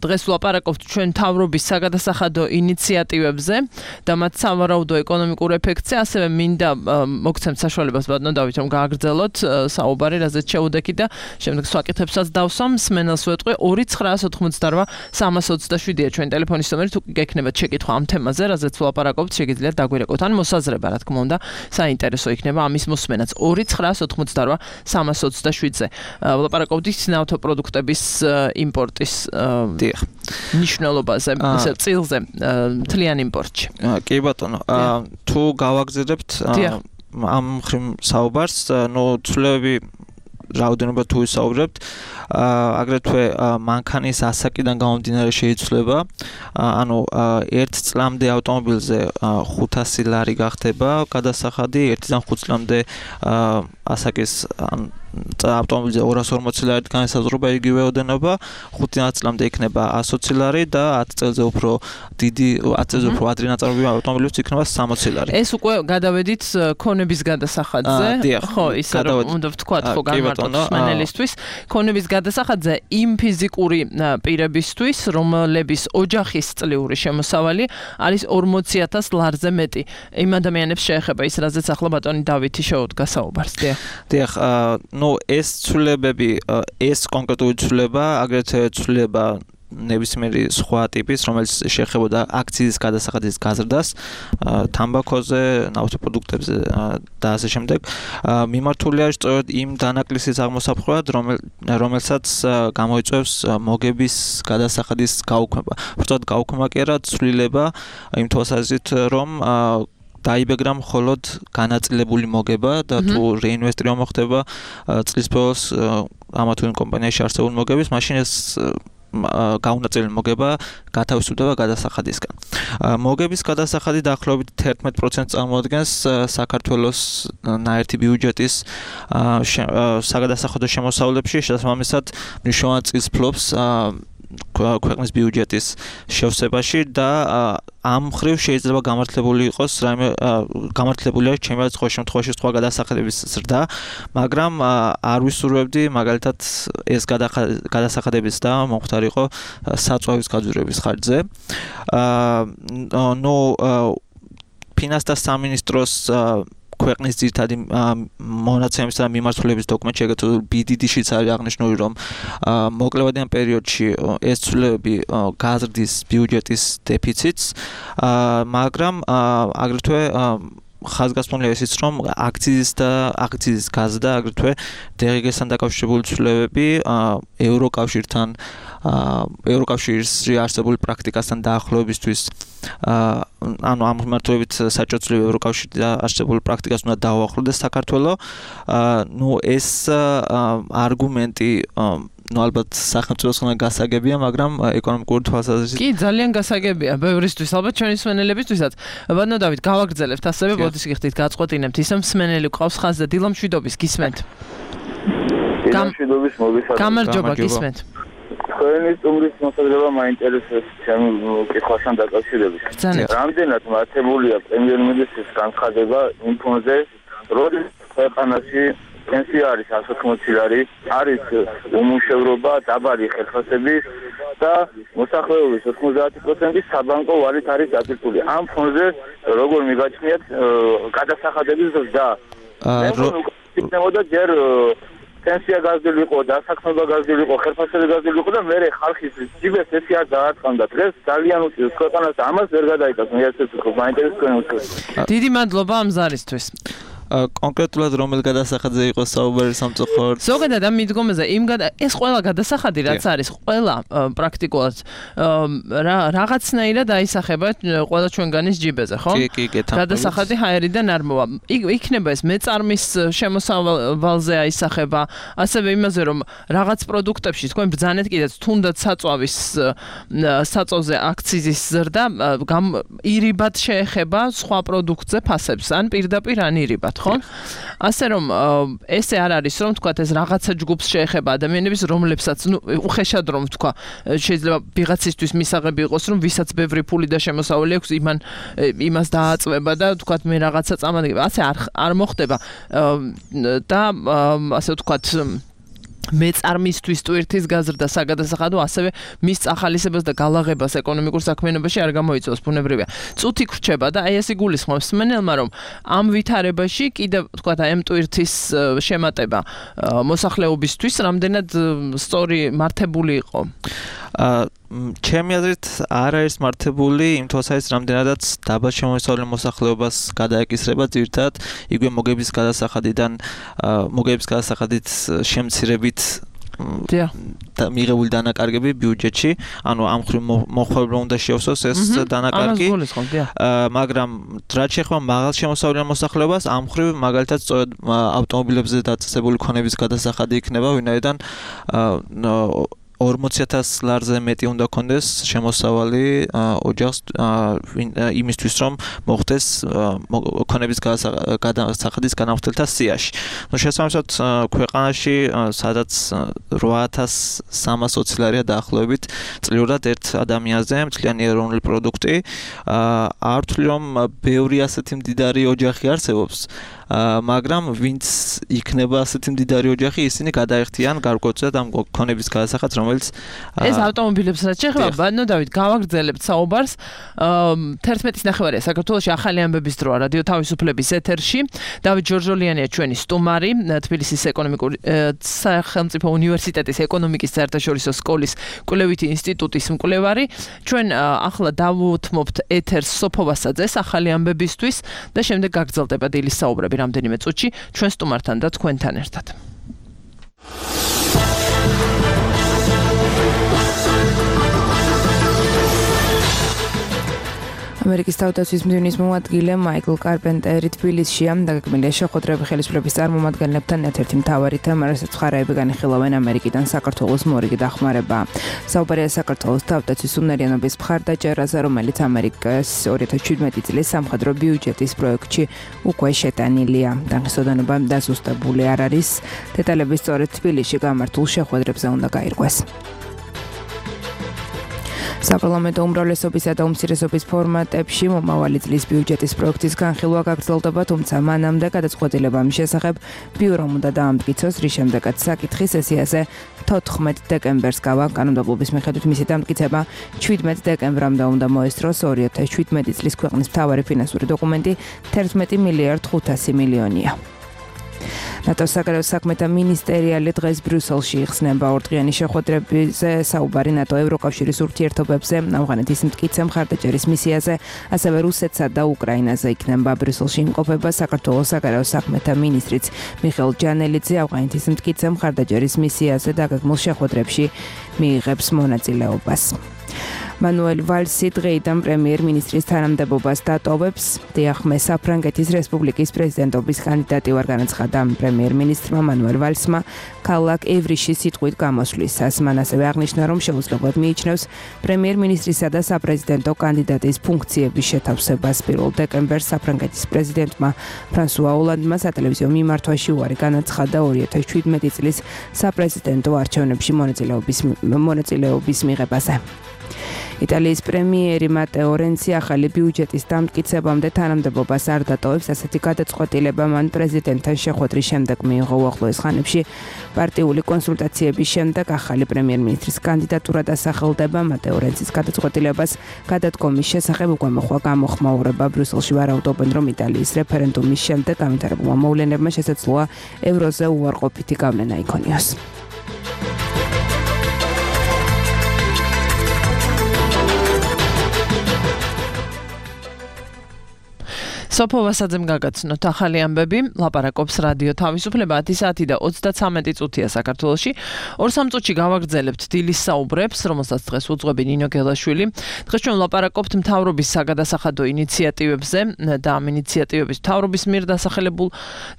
დღეს ვლაპარაკობთ ჩვენ მთავრობის საგადასახადო ინიციატივებზე და მათ სავარაუდო ეკონომიკურ ეფექტზე, ასევე მინდა მოგცემთ საშუალებას ბატონო დავით, რომ გააგრძელოთ საუბარი, რაზეც შეუდექით და შემდეგ სვაკითხებსაც დავსვამ. მსმენელს ვეტყვი ორი ცხრაას ოთხმოცდარვა სამას ოცდაშვიდია ჩვენი ტელეფონის ნომერი, თუ გექნებათ შეკითხვა ამ თემაზე, რაზეც ვლაპარაკობთ, შეგიძლიათ დაგვირეკოთ ან მოსაზრება, რა თქმა უნდა, საინტერესო იქნება ამის მოსმენაც. ორი ცხრაას ოთხმოცდარვა სამას ოცდაშვიდზე. ვლაპარაკობთ ნავთობპროდუქტების იმპორტის მნიშვნელობაზე, ისე წილზე, მთლიან იმპორტში. კი ბატონო, თუ გავაგზავნებთ ამ მხრივ საუბარს, ნუ ცვლილებები რაოდენობა თუ ვისაუბრებთ, აგრეთვე მანქანის ასაკიდან გამომდინარე შეიცვლება, ანუ ერთ წლამდე ავტომობილზე ხუთასი ლარი გახდება გადასახადი, ერთიდან ხუთ წლამდე ასაკის ავტომობილზე ორას ორმოცი ლარით განსაზღვრება იგივე ოდენობა, ხუთი ნაწილამდე იქნება ასოცი ლარი და ათი წელზე უფრო დიდი ათი წელზე უფრო ადრე ნაწარმოებრივი ავტომობილიც იქნება სამოცი ლარი. ეს უკვე გადავედით ქონების გადასახადზე, ხო, ისე რომ უნდა ვთქვათ, ხო, განმარტოთ მსმენელისთვის, ქონების გადასახადზე იმ ფიზიკური პირებისთვის, რომლების ოჯახის წლიური შემოსავალი არის ორმოცი ათას ლარზე მეტი. იმ ადამიანებს შეეხება ის, რაზეც ახლა ბატონი დავითი შეუდგა საუბარს. დიახ. დიახ, ნუ ეს ცვლილებები, ეს კონკრეტული ცვლილება, აგრეთვე ცვლილება ნებისმიერი სხვა ტიპის, რომელიც შეეხებოდა აქციის გადასახადის გაზრდას, თამბაქოზე, ნავთობპროდუქტებზე და ასე შემდეგ, მიმართულია სწორედ იმ დანაკლისის აღმოსაფხვრად, რომელსაც გამოიწვევს მოგების გადასახადის გაუქმება. უბრალოდ გაუქმება კი არა, ცვლილება იმ თვალსაზრისით, რომ დაიბეგრა მხოლოდ განაწილებული მოგება და თუ რეინვესტირება მოხდება წლის ბოლოს ამა თუ იმ კომპანიაში არსებული მოგების, მაშინ ეს გაუნაწილებელი მოგება გათავისუფლდება გადასახადისგან. მოგების გადასახადი დაახლოებით თერთმეტ პროცენტს წარმოადგენს საქართველოს ნაერთი ბიუჯეტის საგადასახადო შემოსავლებში, შესაბამისად მნიშვნელოვან წილს ფლობს ქვეყნის ბიუჯეტის შევსებაში და ამ მხრივ შეიძლება გამართლებული იყოს რაიმე გამართლებული არის ჩემი სხვა შემთხვევაში სხვა გადასახადების ზრდა, მაგრამ არ ვისურვებდი მაგალითად ეს გადასახადების და მომხდარიყო საწვავის გაძვირების ხარჯზე. ნუ ფინანსთა სამინისტროს ქვეყნის ძირითადი მონაცემის და მიმართულების დოკუმენტში ეგრეთვე ბი დი დი-შიც არის აღნიშნული, რომ მოკლევადიან პერიოდში ეს ცვლილებები გაზრდის ბიუჯეტის დეფიციტს, მაგრამ აგრეთვე ხაზგასმულია ისიც, რომ აქციის და აქციის გაზრდა, აგრეთვე დე ღი გე-სთან დაკავშირებული ცვლილებები ევროკავშირთან, ევროკავშირში არსებული პრაქტიკასთან დაახლოებისთვის ანუ ამ მიმართულებით საჭირო ცვლილება ევროკავშირში არსებული პრაქტიკას უნდა დაუახლოვდეს საქართველო. ნუ ეს არგუმენტი ну ალბათ სახელმწიფოს ხომ გასაგებია, მაგრამ ეკონომიკური თვალსაზრისით კი ძალიან გასაგებია ბევრისთვის, ალბათ ჩვენი მსმენელებისთვისაც. ბატონო დავით, გავაგრძელებთ ასევე, ბოდიშ გიხდით, გაწყვეტინებთ ისე მსმენელი ყავს ხაზზე, დილა მშვიდობის გისმენთ. მშვიდობის მოგესალმებით. გამარჯობა, გისმენთ. თქვენი სტუმრის მოსაზრება მაინტერესებს ჩემი კითხვასთან დაკავშირებით. რამდენად მართებულია პრემიერ-მინისტრის განცხადება იმ ფონზე, რომ ქვეყანაში პენსია არის εκατი ოცდაათი ლარი, არის უმუშევრობა, დაბალი ხელფასები და მოსახლეობის ოცდაათი პროცენტი საბანკო ვალით არის დაწესებული. ამ ფონზე როგორ მიგაჩნიათ გადასახადების ზრდა? იქნებოდა ჯერ პენსია გაზრდილიყო, დასაქმება გაზრდილიყო, ხელფასები გაზრდილიყო და მე ხალხის ჯიბეს ესე არ დაარტყამდა. დღეს ძალიან უწევს ქვეყანას ამას ვერ გადაიტანს. მე ასე ვთქვი, მაინტერესებს. დიდი მადლობა ამ ზარისთვის. კონკრეტულად რომელ გადასახადზე იყო საუბარი სამწუხაროდ? ზოგადად ამ მიდგომაზე იმ ეს ყველა გადასახადი რაც არის, ყველა პრაქტიკულად რაღაცნაირად აისახება ყველა ჩვენგანის ჯიბეზე, ხო? კი, კი, გეთანხმებით. გადასახადი ჰაერიდან არ მოვა. იქნება ეს მეწარმის შემოსავალზე აისახება, ასევე იმაზე რომ რაღაც პროდუქტებში თქვენ ბრძანეთ კიდეც თუნდაც საწვავის საწვავზე აქციზის ზრდა ირიბად შეეხება სხვა პროდუქტზე ფასებს, ან პირდაპირ ან ირიბად. ხო? ასე რომ ესე არ არის რომ თქვათ ეს რაღაცა ჯგუფს შეეხება ადამიანების, რომლებსაც ნუ უხეშად რომ თქვა შეიძლება ვიღაცისთვის მისაღები იყოს რომ ვისაც ბევრი ფული და შემოსავალი აქვს იმან იმას დააწვება და თქვათ მე რაღაცა წამადგება. ასე არ არ მოხდება და ასე ვთქვათ მეწარმისთვის ტვირთის გაზრდა საგადასახადო ასევე მის წახალისებას და გალაღებას ეკონომიკურ საქმიანობაში არ გამოიწვევს, ბუნებრივია. წუთი გრჩება და აი ეს იგულისხმობს მსმენელმა, რომ ამ ვითარებაში კიდევ თქვათ აი ამ ტვირთის შემატება მოსახლეობისთვის რამდენად სწორი მართებული იყო. ჩემი აზრით არ არის მართებული იმ თვალსაზრისით, რამდენადაც დაბალ შემოსავლე მოსახლეობას გადაეკისრება ძირთად იგივე მოგების გადასახადიდან მოგების გადასახადით შემცირებით და მიღებული დანაკარგები ბიუჯეტში, ანუ ამ ხრივ მოხმარება უნდა შეავსოს ეს დანაკარგი, მაგრამ რაც შეეხება მაღალ შემოსავლიან მოსახლეობას, ამ ხრივ მაგალითად სწორედ ავტომობილებზე დაწესებული ქონების გადასახადი იქნება, ვინაიდან ორმოცი ათას ლარზე მეტი უნდა კონდეს შემოსავალი ოჯახს იმისთვის რომ მოხდეს ქონების გადასახადის განახორციელთა სიაში. ნუ შესაბამისად ქვეყანაში სადაც რვა ათას სამას ოცი ლარია დაახლოებით წლიურად ერთ ადამიანზე მთლიანი ეროვნული პროდუქტი. არ ვთვლი რომ ბევრი ასეთი მდიდარი ოჯახი არსებობს, მაგრამ ვინც იქნება ასეთი მდიდარი ოჯახი, ისინი გადაეხტიან გარკვეულწილად ამ ქონების გადასახადს, რომელიც ეს ავტომობილებს რაც შეეხება, ბანო დავით, გავაგრძელებთ საუბარს. თერთმეტის ნახევარია საქართველოში ახალი ამბების დროა რადიო თავისუფლების ეთერში. დავით ჯორჯოლიანია ჩვენი სტუმარი, თბილისის ეკონომიკური სახელმწიფო უნივერსიტეტის ეკონომიკის საერთაშორისო სკოლის კვლევითი ინსტიტუტის მკვლევარი. ჩვენ ახლა დავუთმობთ ეთერს სოფო ვასაძეს ახალი ამბებისთვის და შემდეგ გაგრძელდება დილის საუბრები რამდენიმე წუთში ჩვენ სტუმართან და თქვენთან ერთად. ამერიკის თავდაცვის მდივნის მოადგილე მაიკლ კარპენტერი თბილისშია. დაგეგმილია შეხვედრები ხელისუფლების წარმომადგენლებთან. ერთ-ერთი მთავარი თემა, რასაც მხარეები განიხილავენ ამერიკიდან საქართველოს მორიგი დახმარება. საუბარია საქართველოს თავდაცვის უნარიანობის მხარდაჭერაზე, რომელიც ამერიკის ორი ათას შვიდმეტი წლის სამხედრო ბიუჯეტის პროექტში უკვე შეტანილია. დაღესტნობა დასუსტებული არ არის. დეტალები სწორედ თბილისში გამართულ შეხვედრებზე უნდა გაირკვეს. საპარლამენტო უმრავლესობისა და უმცირესობის ფორმატებში მომავალი წლის ბიუჯეტის პროექტის განხილვა გაგრძელდება, თუმცა მანამდე გადაწყვეტილება მის შესახებ ბიურომ უნდა დაამტკიცოს, რის შემდეგაც საკითხი სესიაზე თოთხმეტ დეკემბერს გავა. კანონმდებლობის მიხედვით მისი დამტკიცება შვიდმეტ დეკემბრამდე უნდა მოესწროს. ორი ათას შვიდმეტი წლის ქვეყნის მთავარი ფინანსური დოკუმენტი თერთმეტი მილიარდ ხუთასი მილიონია. ნატოს საგარეო საქმეთა მინისტერიალი დღეს ბრიუსელში იხსნება ორდღიანი შეხვედრებზე საუბარი ნატო ევროკავშირის ურთიერთობებზე, ავღანეთის მტკიცე მხარდაჭერის მისიაზე, ასევე რუსეთსა და უკრაინაზე იქნება. ბრიუსელში იმყოფება საქართველოს საგარეო საქმეთა მინისტრიც მიხეილ ჯანელიძე. ავღანეთის მტკიცე მხარდაჭერის მისიაზე დაგეგმილ შეხვედრებში მიიღებს მონაწილეობას. მანუელ ვალსი დღეიდან პრემიერ-მინისტრის თანამდებობას დატოვებს. დიახმე საფრანგეთის რესპუბლიკის პრეზიდენტობის კანდიდატი ვარ განაცხადა პრემიერ-მინისტრმა მანუელ ვალსმა ქალაქ ევრიში სიტყვით გამოსვლისას. მან ასევე აღნიშნა, რომ შეუძლებლად მიიჩნევს პრემიერ-მინისტრისა და საპრეზიდენტო კანდიდატის ფუნქციების შეთავსებას. პირველ დეკემბერს საფრანგეთის პრეზიდენტმა ფრანსუა ოლანდმა სატელევიზიო მიმართვაში უარი განაცხადა ორი ათას შვიდმეტი წლის საპრეზიდენტო არჩევნებში მონაწილეობის მონაწილეობის მიღებაზე. იტალიის პრემიერი მატეო რენცი ახალი ბიუჯეტის დამტკიცებამდე თანამდებობას არ დატოვებს. ასეთი გადაწყვეტილება მან პრეზიდენტთან შეხვედრის შემდეგ მიიღო. უახლოეს ხანებში პარტიული კონსულტაციების შემდეგ ახალი პრემიერ-მინისტრის კანდიდატურა დასახელდება. მატეო რენცის გადაწყვეტილებას გადადგომის შესახებ უკვე მოხდა გამოხმაურება. ბრიუსელში ვარაუდობენ, რომ იტალიის რეფერენდუმის შემდეგ განვითარებულმა მოვლენებმა შესაძლოა ევროზე უარყოფითი გავლენა იქონიოს. სოფო ვასაძემ გაგაცნოთ ახალი ამბები. ლაპარაკობს რადიო თავისუფლება ათი საათი და ოცდაცამეტი წუთია საქართველოში. ორ სამ წუთში გავაგრძელებთ დილის საუბრებს, რომელსაც დღეს უძღვები ნინო გელაშვილი. დღეს ჩვენ ლაპარაკობთ მთავრობის საგადასახადო ინიციატივებზე და ამ ინიციატივების მთავრობის მიერ დასახელებულ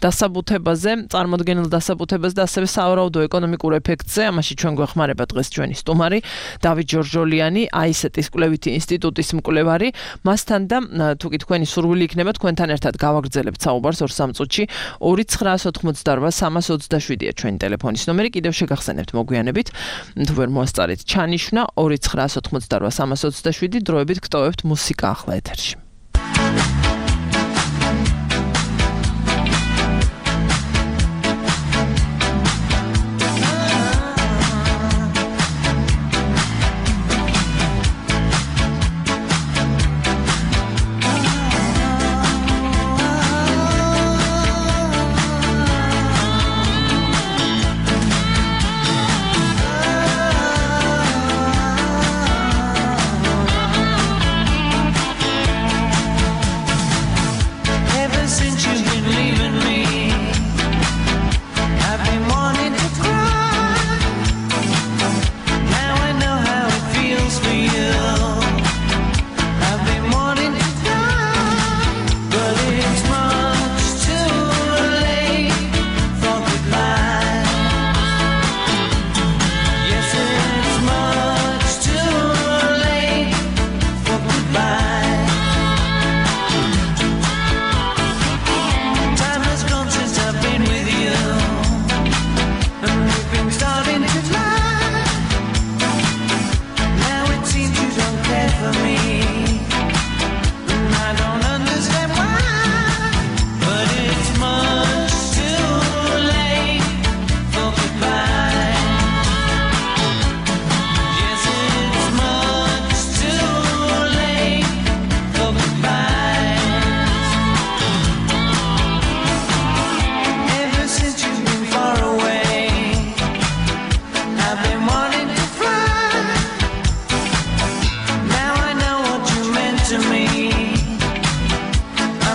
დასაბუთებაზე, წარმოდგენილ დასაბუთებაზე და ასევე სავარაუდო ეკონომიკურ ეფექტზე. ამაში ჩვენ გვეხმარება დღეს ჩვენი სტუმარი დავით ჯორჯოლიანი, აისეტის კვლევითი ინსტიტუტის მკვლევარი. მასთან და თუ კი თქვენი სურვილი იქნება თქვენთან ერთად გავაგრძელებთ საუბარს ორ სამ წუთში. ორი ცხრაას ოთხმოცდარვა სამას ოცდაშვიდია ჩვენი ტელეფონის ნომერი. კიდევ შეგახსენებთ მოგვიანებით, თუ ვერ მოასწარეთ ჩანიშვნა ორი ცხრაას ოთხმოცდარვა სამას ოცდაშვიდი. დროებით გტოვებთ მუსიკა ახლა ეთერში.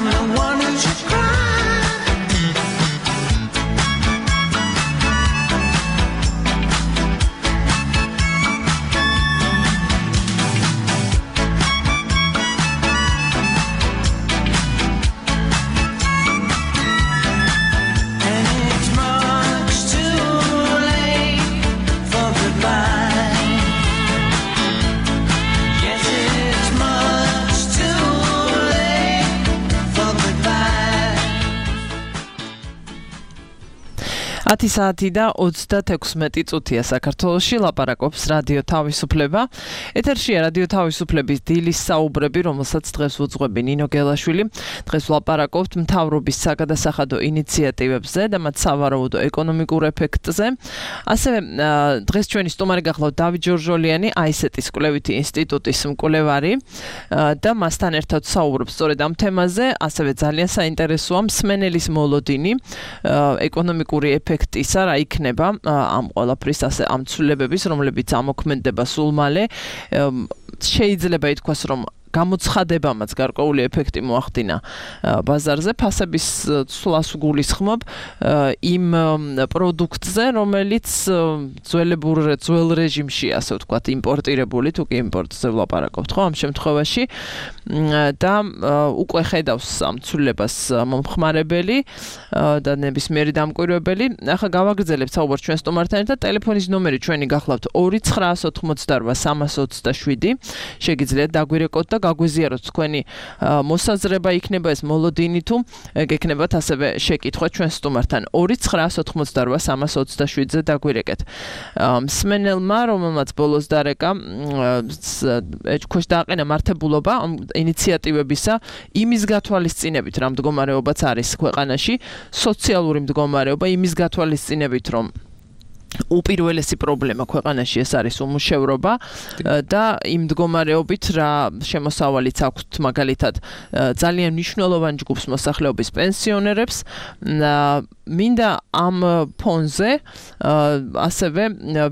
I'm the one who should cry. ათი საათი და ოცდათექვსმეტი წუთია საქართველოში ლაპარაკობს რადიო თავისუფლება. ეთერშია რადიო თავისუფლების დილის საუბრები, რომელსაც დღეს უძღვები ნინო გელაშვილი. დღეს ვლაპარაკობთ მთავრობის საგადასახადო ინიციატივებზე და მათ სავარაუდო ეკონომიკურ ეფექტზე. ასევე დღეს ჩვენი სტუმარი გახლავთ დავით ჯორჯოლიანი, აისეტის კვლევითი ინსტიტუტის მკვლევარი და მასთან ერთად საუბრობს სწორედ ამ თემაზე. ასევე ძალიან საინტერესოა მსმენელის მოლოდინი, ეკონომიკური ეფექტი ისა რა იქნება ამ ყველაფრის ასე ამ ცვლილებების, რომლებიც ამოქმედდება სულ მალე. შეიძლება ითქვას, რომ გამოცხადებამაც გარკვეული ეფექტი მოახდინა ბაზარზე, ფასების ცვლას გულისხმობ იმ პროდუქტზე, რომელიც ძველებურ ძველ რეჟიმში, ასე ვთქვათ, იმპორტირებული, თუ კი იმპორტზე ვლაპარაკობთ, ხო, ამ შემთხვევაში და უკვე ხედავს ამ ცვლილებას მომხმარებელი და ნებისმიერი დამკვირვებელი. ახლა გავაგრძელებთ საუბარს ჩვენ სტუმართან ერთად. ტელეფონის ნომერი ჩვენი გახლავთ ორი ცხრაას ოთხმოცდარვა სამას ოცდაშვიდი. შეგიძლიათ დაგვირეკოთ და გაგვიზიაროთ თქვენი მოსაზრება, იქნება ეს მოლოდინი თუ გექნებათ ასევე შეკითხვა ჩვენ სტუმართან. ორი ცხრაას ოთხმოცდარვა სამას ოცდაშვიდზე დაგვირეკეთ. მსმენელმა, რომელმაც ბოლოს დარეკა, ეჭქვეშ დააყენა მართებულობა ამ ინიციატივებისა იმის გათვალისწინებით, რა მდგომარეობაც არის ქვეყანაში, სოციალური მდგომარეობა იმის გათვალისწინებით, რომ უპირველესი პრობლემა ქვეყანაში ეს არის უმუშევრობა და იმ მდგომარეობით რა შემოსავალიც აქვთ მაგალითად ძალიან მნიშვნელოვან ჯგუფს მოსახლეობის პენსიონერებს. მინდა ამ ფონზე ასევე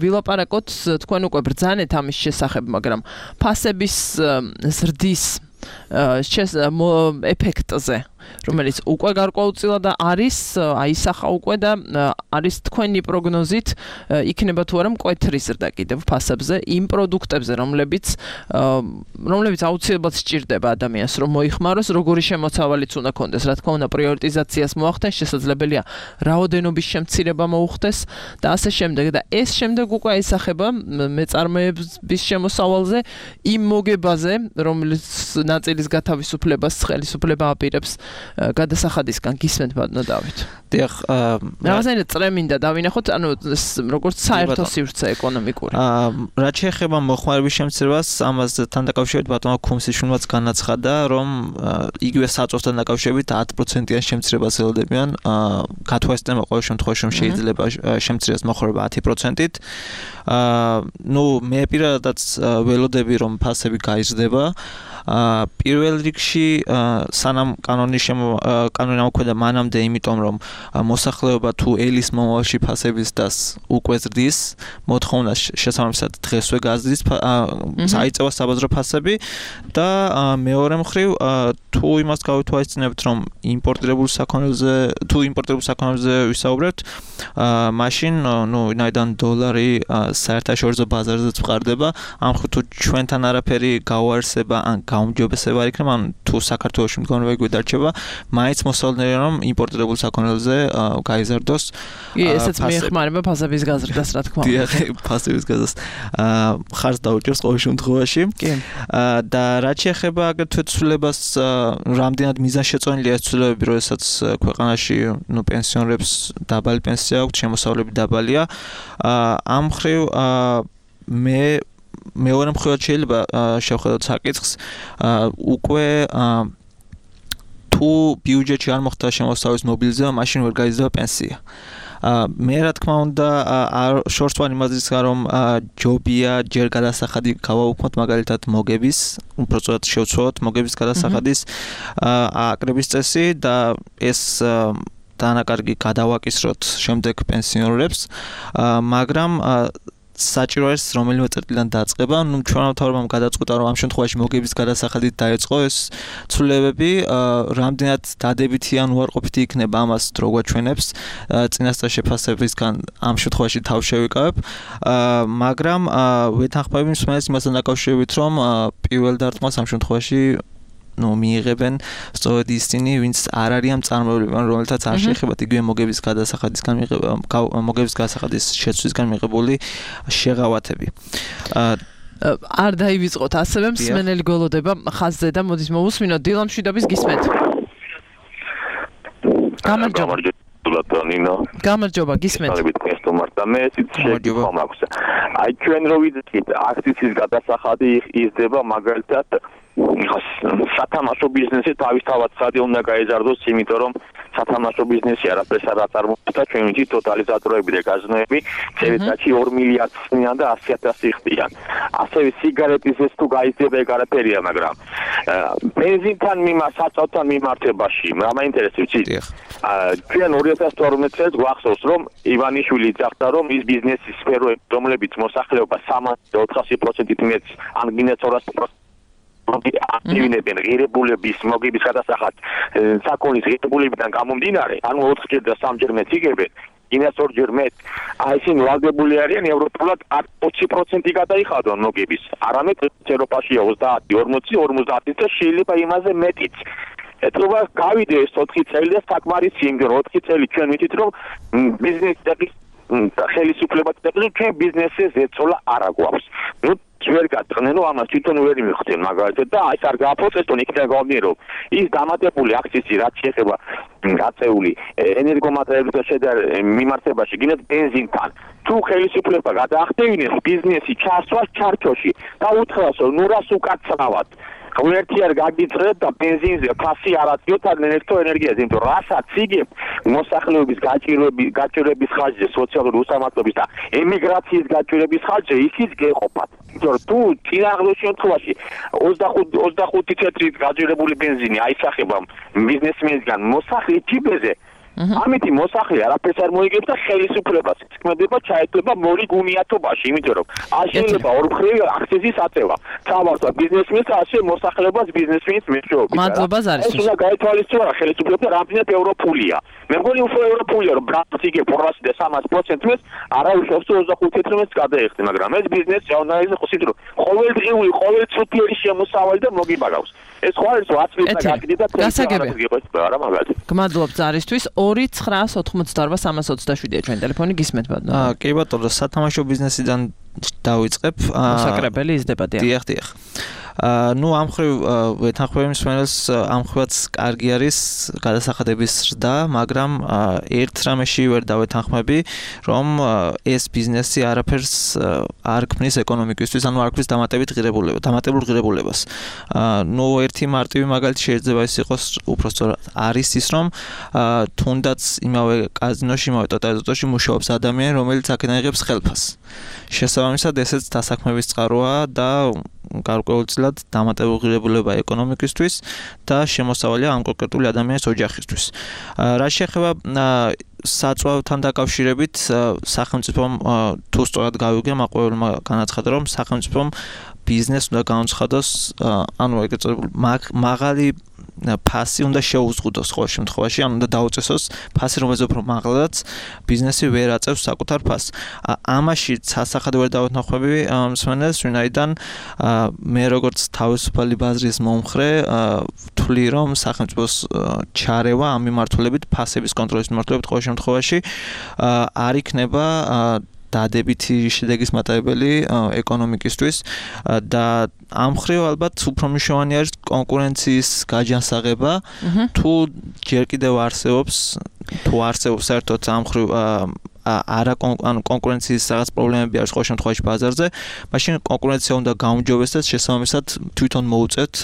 ვილაპარაკოთ, თქვენ უკვე ბრძანეთ ამის შესახებ, მაგრამ ფასების ზრდის ეფექტზე, რომელიც უკვე გარკვეულწილად არის, აისახა უკვე და არის თქვენი პროგნოზით იქნება თუ არა მკვეთრი ზრდა კიდევ ფასებზე იმ პროდუქტებზე, რომლებიც რომლებიც აუცილებლად სჭირდება ადამიანს, რომ მოიხმაროს, როგორი შემოცავალიც უნდა კონდეს, რა თქმა უნდა, პრიორიტიზაციას მოახდენს, შესაძლებელია რაოდენობის შემცირება მოუხდეს და ასე შემდეგ და ეს შემდეგ უკვე აისახება მეწარმეების შემოსავალზე იმ მოგებაზე, რომელიც ნაწილის გათავისუფლებას ხელისუფლება აპირებს გადასახადისგან. გისმენთ ბატონო დავით? დიახ, რაღაცნაირად წრემინდა დავინახოთ, ანუ როგორც საერთო სივრცე ეკონომიკური. რაც შეეხება მოხმარების შემცირებას, ამასთან დაკავშირებით ბატონმა ქუმსიშვილმაც განაცხადა, რომ იგივე საწვავთან დაკავშირებით ათი პროცენტიან შემცირებას ელოდებიან. გათვალისწინება ყოველ შემთხვევაში რომ შეიძლება შემცირებას მოხმარება ათი პროცენტით. ნუ მე პირადადაც ველოდები, რომ ფასები გაიზრდება. პირველ რიგში სანამ კანონი კანონი ამოქმედა მანამდე, იმიტომ რომ მოსახლეობა თუ ელის მომავალში ფასების დას უკვე ზრდის, მოთხოვნა შესაბამისად დღესვე გაზრდის, საიწევა საბაზრო ფასები და მეორე მხრივ თუ იმას გავითვალისწინებთ, რომ იმპორტირებულ საქონელზე თუ იმპორტირებულ საქონელზე ვისაუბრებთ, მაშინ ნუ ვინაიდან დოლარი საერთაშორისო ბაზარზეც ვყარდება, ამ ხრივ თუ ჩვენთან არაფერი გაუარსება ან გაუმჯობესება არ იქნება, ან თუ საქართველოში მდგომარეობა იგივე დარჩება, მაინც მოსალოდნელია რომ იმპორტირებულ საქონელზე გაიზარდოს. კი, ესეც მიეხმარება ფასების გაზრდას, რა თქმა უნდა. დიახ, ფასების გაზრდას ხარს დაუჭერს ყოველ შემთხვევაში. და რაც შეეხება აგრეთვე ცვლილებას, რამდენად მიზანშეწონილია ეს ცვლილებები, როდესაც ქვეყანაში ნუ პენსიონერებს დაბალი პენსია აქვთ, შემოსავლები დაბალია. ამ მხრივ მე მეორე მხრივ შეიძლება შევხედოთ საკითხს, უკვე თუ ბიუჯეტში არ მოხდა შემოსავლის მობილიზება, მაშინ ვერ გაიზრდება პენსია. მე რა თქმა უნდა შორს ვარ იმაზეც რომ ჯობია ჯერ გადასახადი გავაუქმოთ მაგალითად მოგების, უბრალოდ შევცვალოთ მოგების გადასახადის აკრების წესი და ეს დანაკარგი გადავაკისროთ შემდეგ პენსიონერებს, მაგრამ საჭირო არის რომელიმე წერტილიდან დაწყება. ნუ ჩვენმა მთავრობამ გადაწყვიტა რომ ამ შემთხვევაში მოგების გადასახადით დაეწყო ეს ცვლილებები, რამდენად დადებითი ან უარყოფითი იქნება ამას დრო გვაჩვენებს. წინასწარ შეფასებისგან ამ შემთხვევაში თავ შევიკავებ, მაგრამ ვეთანხმები მსმენელს იმასთან დაკავშირებით, რომ პირველ დარტყმას ამ შემთხვევაში ნუ მიიღებენ სწორედ ისინი, ვინც არ არიან წარმოებულები, რომელთაც არ შეეხებათ იგივე მოგების გადასახადისგან მიღება, მოგების გადასახადის შეცვლისგან მიღებული შეღავათები. არ დაივიწყოთ ასევე მსმენელი გოლოდება ხაზზე და მოდის მოვუსმინოთ დილა მშვიდობის გისმენთ. გამარჯობა. ლატონინო. გამარჯობა, გისმენთ. და მე შეიძლება მაქვს. აი ჩვენ რო ვიდით აქციის გადასახადი იზრდება მაგალითად სათამაშო ბიზნესი თავისთავად ხადი უნდა გაეზარდოს, იმიტომ რომ სათამაშო ბიზნესი არაფერს არ აწარმოებს და ჩვენ ვიცით ტოტალიზატორები და გაზნოები წელიწადში ორ მილიარდს ხდიან და ასი ათასი ხდიან. ასევე სიგარეტისეს თუ გაიზრდება ეგ არაფერია, მაგრამ ბენზინთან მიმართ საწავთან მიმართებაში რა მაინტერესებს იცით? ჩვენ ორი ათას თორმეტ წელს გვახსოვს რომ ივანიშვილი ძახდა რომ ის ბიზნესის სფეროები რომლებიც მოსახლეობა სამასი ოთხასი პროცენტით მეტ ან გინდათ ორასი პროცენტით აქტივინებენ ღირებულების მოგების გადასახად საკონის ღირებულებიდან გამომდინარე, ანუ ოთხჯერ და სამჯერ მეტ იგებენ, გინდათ ორჯერ მეტ. აი ისინი ვალდებული არიან ევროპულად ოცი პროცენტი გადაიხადონ მოგების, არამედ ევროპაშია ოცდაათი, ორმოცი, ორმოცდაათი და შეიძლება იმაზე მეტიც. ეთქობა გავიდე ეს ოთხი წელი და საკმარისი, იმიტომ რომ ოთხი წელი ჩვენ ვიცით რომ ბიზნესის ხელისუფლება და ჩვენ ბიზნესზე ზეწოლა არ აგვაქვს. ნუ ვერ გატყნენ რომ ამას თვითონ ვერ მიხდენ მაგალითად და აი ეს არ გააფოცეს თონ იქიდან გამომდინარე რომ ის დამატებული აქციზი რაც შეეხება გაწეული ენერგომატერიალებთან შედარებით მიმართებაში გინდათ ბენზინთან თუ ხელისუფლება გადაახდევინებს ბიზნესი ჩასვას ჩარჩოში და უთხრას რომ ნუ რას უკაცრავად ღმერთი არ გაგიწრეთ და ბენზინზე ფასი არ აწიოთ ან ელექტროენერგიაზე, იმიტომ რომ რასაც იგებ მოსახლეობის გაჭირვების გაჭირვების ხარჯზე, სოციალური უსამართლობის და ემიგრაციის გაჭირვების ხარჯზე ისიც გეყოფათ. იმიტომ რომ თუ წინააღმდეგ შემთხვევაში ოცდახუთი ცენტრით გაჭირვებული ბენზინი აისახება ბიზნესმენისგან მოსახლე ჯიბეზე ამიტი მოსახლე არაფერს არ მოიგებს და ხელისუფლებას ქმედება ჩაეწება მორი გუნიათობაში, იმიტომ რომ არ შეიძლება ორმხრივი აქციზის აწევა. თავარსა ბიზნესმენს ასე მოსახლეობას ბიზნესმენის მეშვეობით. მადლობა ზარისთვის. ეს უნდა გაითვალისწინოს რა ხელისუფლება რამდენად ევროპულია. მე მგონი უფრო ევროპულია, რომ ბრანს იგებ ორასი და სამასი პროცენტს არა უშავს ოცდახუთი ცენტრს გადაეხდე, მაგრამ ეს ბიზნესი ჟურნალისტი ხოსით რომ ყოველდღიური, ყოველწუთიერი შემოსავალი და მოგიბაგავს. ეს ხო არის ათი წლის გაკეთდა და გასაგებია. არა მაგალითად. გმადლობთ ზარისთვის. ორი ცხრა ოთხმოცდაორვა სამას ოცდაშვიდია ჩვენ ტელეფონი გისმენთ ბატონო. აა კი ბატონო, სათამაშო ბიზნესიდან დავიწყებ. მოსაკრებელი იზრდება დიახ. დიახ, დიახ. აა ნუ ამ ხრივ ვეთანხმები მსმენელს ამ ხრივაც კარგი არის გადასახადების ზრდა, მაგრამ ერთ რამეში ვერ დავეთანხმები, რომ ეს ბიზნესი არაფერს არ ქმნის ეკონომიკისთვის, ანუ არ ქმნის დამატებით ღირებულებას, დამატებულ ღირებულებას. აა ნუ ერთი მარტივი მაგალითი შეიძლება ის იყოს უფრო სწორად არის ის, რომ თუნდაც იმავე კაზინოში, იმავე ტოტალიზატორში მუშაობს ადამიანი, რომელიც აქედან იღებს ხელფასს. შესაბამისად, ესეც დასაქმების წყაროა და გარკვეულწილად დამატებულ ღირებულება ეკონომიკისთვის და შემოსავალია ამ კონკრეტული ადამიანის ოჯახისთვის. რა შეეხება საწვავთან დაკავშირებით, სახელმწიფომ თუ სწორად გავიგე, მაყურებელმა განაცხადა, რომ სახელმწიფომ ბიზნესს უნდა განაცხადოს, ანუ ეგრეთ წოდებული მაღალი ფასი უნდა შეუზღუდოს ყოველ შემთხვევაში, ანუ უნდა დაუწესოს ფასი, რომელზეც უფრო მაღლადაც ბიზნესი ვერ აწევს საკუთარ ფასს. ამაში სასახად ვერ დავეთანხმები მსმენელს, ვინაიდან მე როგორც თავისუფალი ბაზრის მომხრე ვთვლი, რომ სახელმწიფოს ჩარევა ამ მიმართულებით, ფასების კონტროლის მიმართულებით ყოველ შემთხვევაში არ იქნება დადებითი შედეგის მატარებელი ეკონომიკისთვის და ამ ხრივ ალბათ უფრო მნიშვნელოვანი არის კონკურენციის გაჯანსაღება, თუ ჯერ კიდევ არსებობს, თუ არსებობს საერთოდ ამ ხრივ არა ანუ კონკურენციის რაღაც პრობლემები არის ყოველ შემთხვევაში ბაზარზე, მაშინ კონკურენცია უნდა გაუმჯობესდეს, შესაბამისად თვითონ მოუწევთ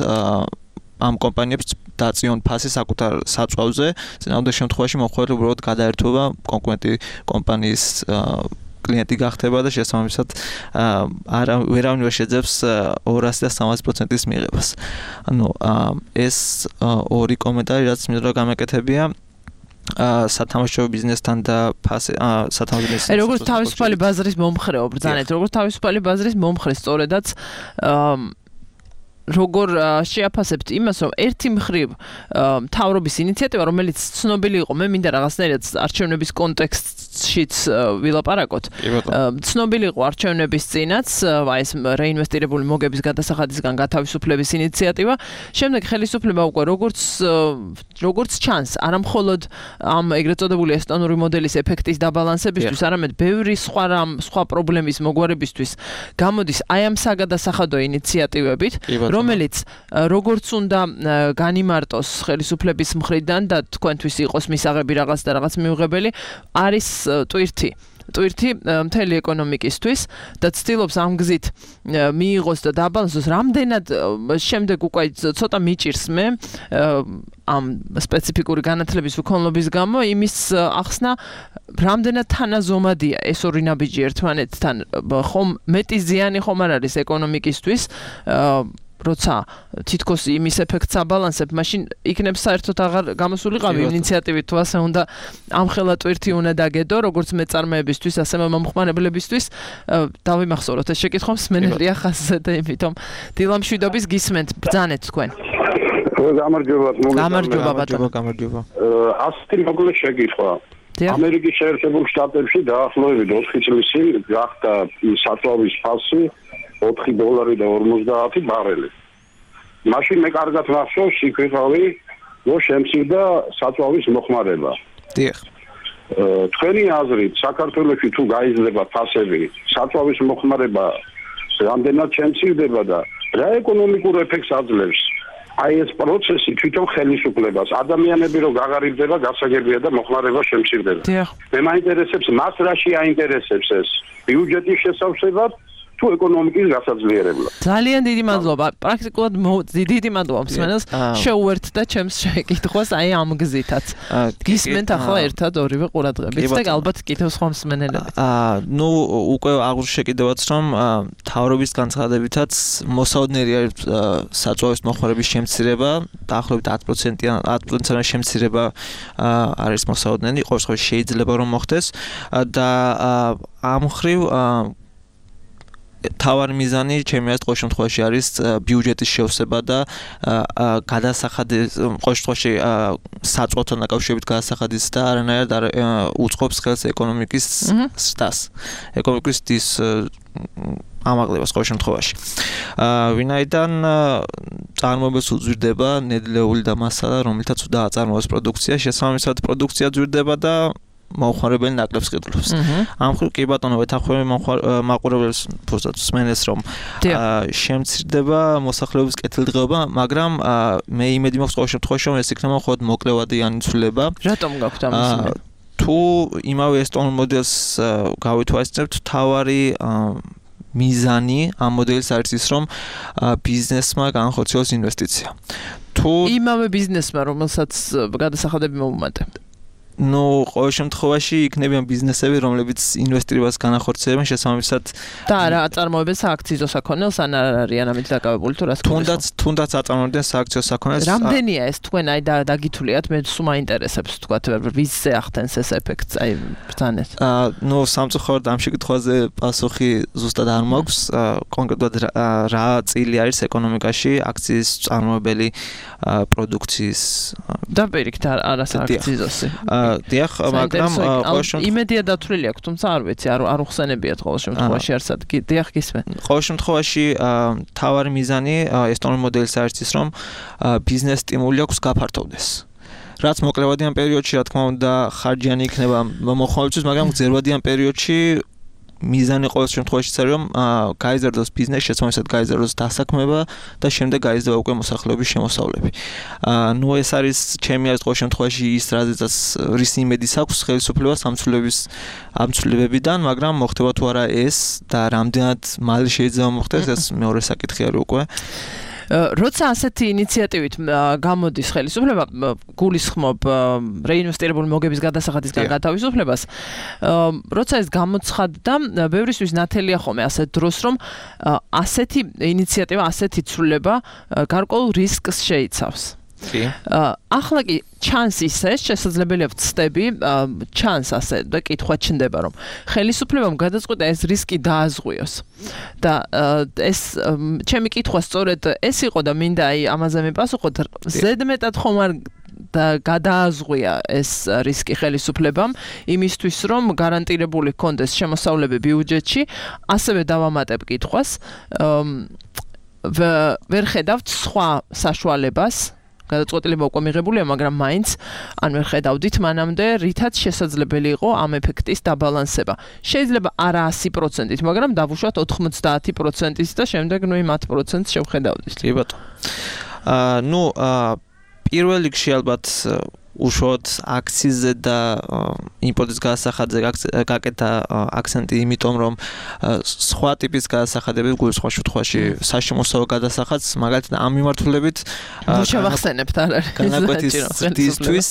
ამ კომპანიებს დაწიონ ფასი საკუთარ საწვავზე, წინააღმდეგ შემთხვევაში მომხმარე უბრალოდ გადაერთვება კონკურენტი კომპანიის კლიენტი გახდება და შესაბამისად არა ვერავინ ვერ შეძებს ორასი და სამასი პროცენტის მიღებას. ანუ ეს ორი კომენტარი რაც მინდა გამეკეთებია. სათამაშო ბიზნესთან და სათამაშო ბიზნესთან. აი როგორც თავისუფალი ბაზრის მომხრეო ბრძანეთ, როგორც თავისუფალი ბაზრის მომხრე სწორედაც როგორ შეაფასებთ იმას, რომ ერთი მხრივ მთავრობის ინიციატივა, რომელიც ცნობილი იყო, მე მინდა რაღაცნაირად არჩევნების კონტექსტშიც ვილაპარაკოთ. ცნობილი იყო არჩევნების წინაც, აი ეს რეინვესტირებული მოგების გადასახადისგან გათავისუფლების ინიციატივა. შემდეგ ხელისუფლება უკვე როგორც როგორც ჩანს, არა მხოლოდ ამ ეგრეთ წოდებული ესტონური მოდელის ეფექტის დაბალანსებისთვის, არამედ ბევრი სხვა რამ, სხვა პრობლემის მოგვარებისთვის გამოდის აი ამ საგადასახადო ინიციატივებით. რომელიც როგორც უნდა განიმარტოს ხელისუფლების მხრიდან და თქვენთვის იყოს მისაღები რაღაც და რაღაც მიუღებელი არის ტვირთი ტვირთი მთელი ეკონომიკისთვის და ცდილობს ამ გზით მიიღოს და დაბალანსოს რამდენად შემდეგ უკვე ცოტა მიჭირს მე ამ სპეციფიკური განათლების უქონლობის გამო იმის ახსნა რამდენად თანაზომადია ეს ორი ნაბიჯი ერთმანეთთან ხომ მეტი ზიანი ხომ არ არის ეკონომიკისთვის როცა თითქოს იმის ეფექტს აბალანსებ, მაშინ იქნებ საერთოდ აღარ გამოსულიყავი ინიციატივით თუ ასე უნდა ამხელა ტვირთი უნდა დაგედო, როგორც მეწარმეებისთვის, ასე მომხმარებლებისთვის. დავიმახსოვროთ ეს შეკითხვა მსმენელია ხაზზე და იმიტომ დილამშვიდობის გისმენთ, ბრძანეთ თქვენ. გამარჯობა, გამარჯობა ბატონო, გამარჯობა. ასეთი მოკლე შეკითხვა. ამერიკის შეერთებულ შტატებში დაახლოებით ოთხი წლის წინ გახდა საწვავის ფასი ოთხი დოლარი და ორმოცდაათი ბარელი. მაშინ მე კარგად მახსოვს, იქ ვიყავი, რომ შემცირდა საწვავის მოხმარება. დიახ. თქვენი აზრით, საქართველოში თუ გაიზრდება ფასები, საწვავის მოხმარება რამდენად შემცირდება და რა ეკონომიკურ ეფექტს აძლევს? აი ეს პროცესი თვითონ ხელისუფლებას, ადამიანები რო გაღარიბდება, გასაგებია და მოხმარება შემცირდება. მე მაინტერესებს, მას რაში აინტერესებს ეს? ბიუჯეტის შესავსებად თუ ეკონომიკის გასაძლიერებლად. ძალიან დიდი მადლობა. პრაქტიკულად დიდი მადლობა მსმენელს შეუერთდა ჩემს შეკითხვას აი ამ გზითაც. გისმენთ ახლა ერთად ორივე ყურადღებით და ალბათ კიდევ სხვა მსმენელები. აა ნუ უკვე აღნიშნე კიდევაც რომ თავრობის განცხადებითაც მოსაოდნელი არის საწვავის მოხმარების შემცირება, დაახლოებით ათი პროცენტიან ათი პროცენტიანი შემცირება არის მოსაოდნელი, ყოველ შემთხვევაში შეიძლება რომ მოხდეს და ამ მხრივ თავარი მიზანი ჩემი აზრით ყოველ შემთხვევაში არის ბიუჯეტის შევსება და გადასახადის ყოველ შემთხვევაში საწვავთან დაკავშირებით გადასახადის და არანაირად არ უწყობს ხელს ეკონომიკის სტას. ეკონომიკის ის ამაღლებას ყოველ შემთხვევაში. ვინაიდან წარმოებებს უძვირდება ნედლეული და მასალა, რომელთაც უნდა აწარმოოს პროდუქცია, შესაბამისად პროდუქცია ძვირდება და მოხმარებელი ნაკლებს ყიდულობს. ამ მხრივ კი ბატონო ვეთანხმები მაყურებელს ფუძად მსმენელს რომ შემცირდება მოსახლეობის კეთილდღეობა, მაგრამ მე იმედი მაქვს ყოველ შემთხვევაში რომ ეს იქნება მხოლოდ მოკლევადიანი ცვლილება. რატომ გაქვთ ამის? თუ იმავე ესტონურ მოდელს გავითვალისწინებთ, თავარი მიზანი ამ მოდელის არის ის რომ ბიზნესმა განხორციელოს ინვესტიცია. თუ იმავე ბიზნესმა რომელსაც გადასახადები მოუმატებთ ნუ ყოველ შემთხვევაში იქნებიან ბიზნესები, რომლებიც ინვესტირებას განახორციელებენ შესაბამისად და რა აწარმოებენ სააქციზო საქონელს ან არ არიან ამით დაკავებული თუ რას თუნდაც თუნდაც აწარმოებენ სააქციო საქონელს. რამდენია ეს თქვენ აი დაგითuliat მე სულ მაინტერესებს თქვა ვისზე ახდენს ეს ეფექტს აი ბრძანეთ. აა ნუ სამწუხაროდ ამ შეკითხვაზე პასუხი ზუსტად არ მაქვს. კონკრეტულად რა წილი არის ეკონომიკაში აქციის წარმოებელი პროდუქციის და პირიქით არა სააქციზოსი. დიახ, მაგრამ ყოველ შემთხვევაში იმედია დათვლილი აქვს, თუმცა არ ვიცი, არ არ უხსენებიათ ყოველ შემთხვევაში არსად. დიახ, გისმენ. ყოველ შემთხვევაში თავარი მიზანი ესტონურ მოდელის არის ის, რომ ბიზნეს სტიმული აქვს გაფართოვდეს. რაც მოკლევადიან პერიოდში, რა თქმა უნდა, ხარჯიანი იქნება მოხმარებისთვის, მაგრამ გრძელვადიან პერიოდში მიზანი ყოველ შემთხვევაში არის რომ გაიზარდოს ბიზნესი, შესაბამისად გაიზარდოს დასაქმება და შემდეგ გაიზრდება უკვე მოსახლეობის შემოსავლები. ნუ ეს არის ჩემი აზრით ყოველ შემთხვევაში ის რაზეც რის იმედის აქვს ხელისუფლებას ამ ცვლილებების ამ ცვლილებებიდან, მაგრამ მოხდება თუ არა ეს და რამდენად მალე შეიძლება მოხდეს, ეს მეორე საკითხი არის უკვე. როცა ასეთი ინიციატივით გამოდის ხელისუფლება, გულისხმობ რეინვესტირებული მოგების გადასახადისგან გათავისუფლებას, როცა ეს გამოცხადდა, ბევრისთვის ნათელია ხოლმე ასეთ დროს, რომ ასეთი ინიციატივა, ასეთი ცვლილება გარკვეულ რისკს შეიცავს. ახლა კი ჩანს ისე, შესაძლებელია ვცდები, ჩანს ასე და კითხვა ჩნდება, რომ ხელისუფლებამ გადაწყვიტა ეს რისკი დააზღვიოს. და ეს ჩემი კითხვა სწორედ ეს იყო და მინდა აი ამაზე მიპასუხოთ, ზედმეტად ხომ არ და გადააზღვია ეს რისკი ხელისუფლებამ იმისთვის რომ გარანტირებული ჰქონდეს შემოსავლები ბიუჯეტში, ასევე დავამატებ კითხვას, ვერ ხედავთ სხვა საშუალებას გადაწყვეტილება უკვე მიღებულია, მაგრამ მაინც ან ვერ ხედავდით მანამდე, რითაც შესაძლებელი იყო ამ ეფექტის დაბალანსება. შეიძლება არა ასი პროცენტით, მაგრამ დავუშვათ ოთხმოცდაათი პროცენტით და შემდეგ ნუ იმ ათ პროცენტს შევხედავდით. კი ბატონო. აა ნუ პირველ რიგში ალბათ უშუალოდ აქციზზე და იმპორტის გადასახადზე გაკეთა აქცენტი, იმიტომ რომ სხვა ტიპის გადასახადები სხვა შემთხვევაში საშემოსავლო გადასახადს, მაგალითად ამ მიმართულებით შევახსენებთ არ არის განაკვეთისთვის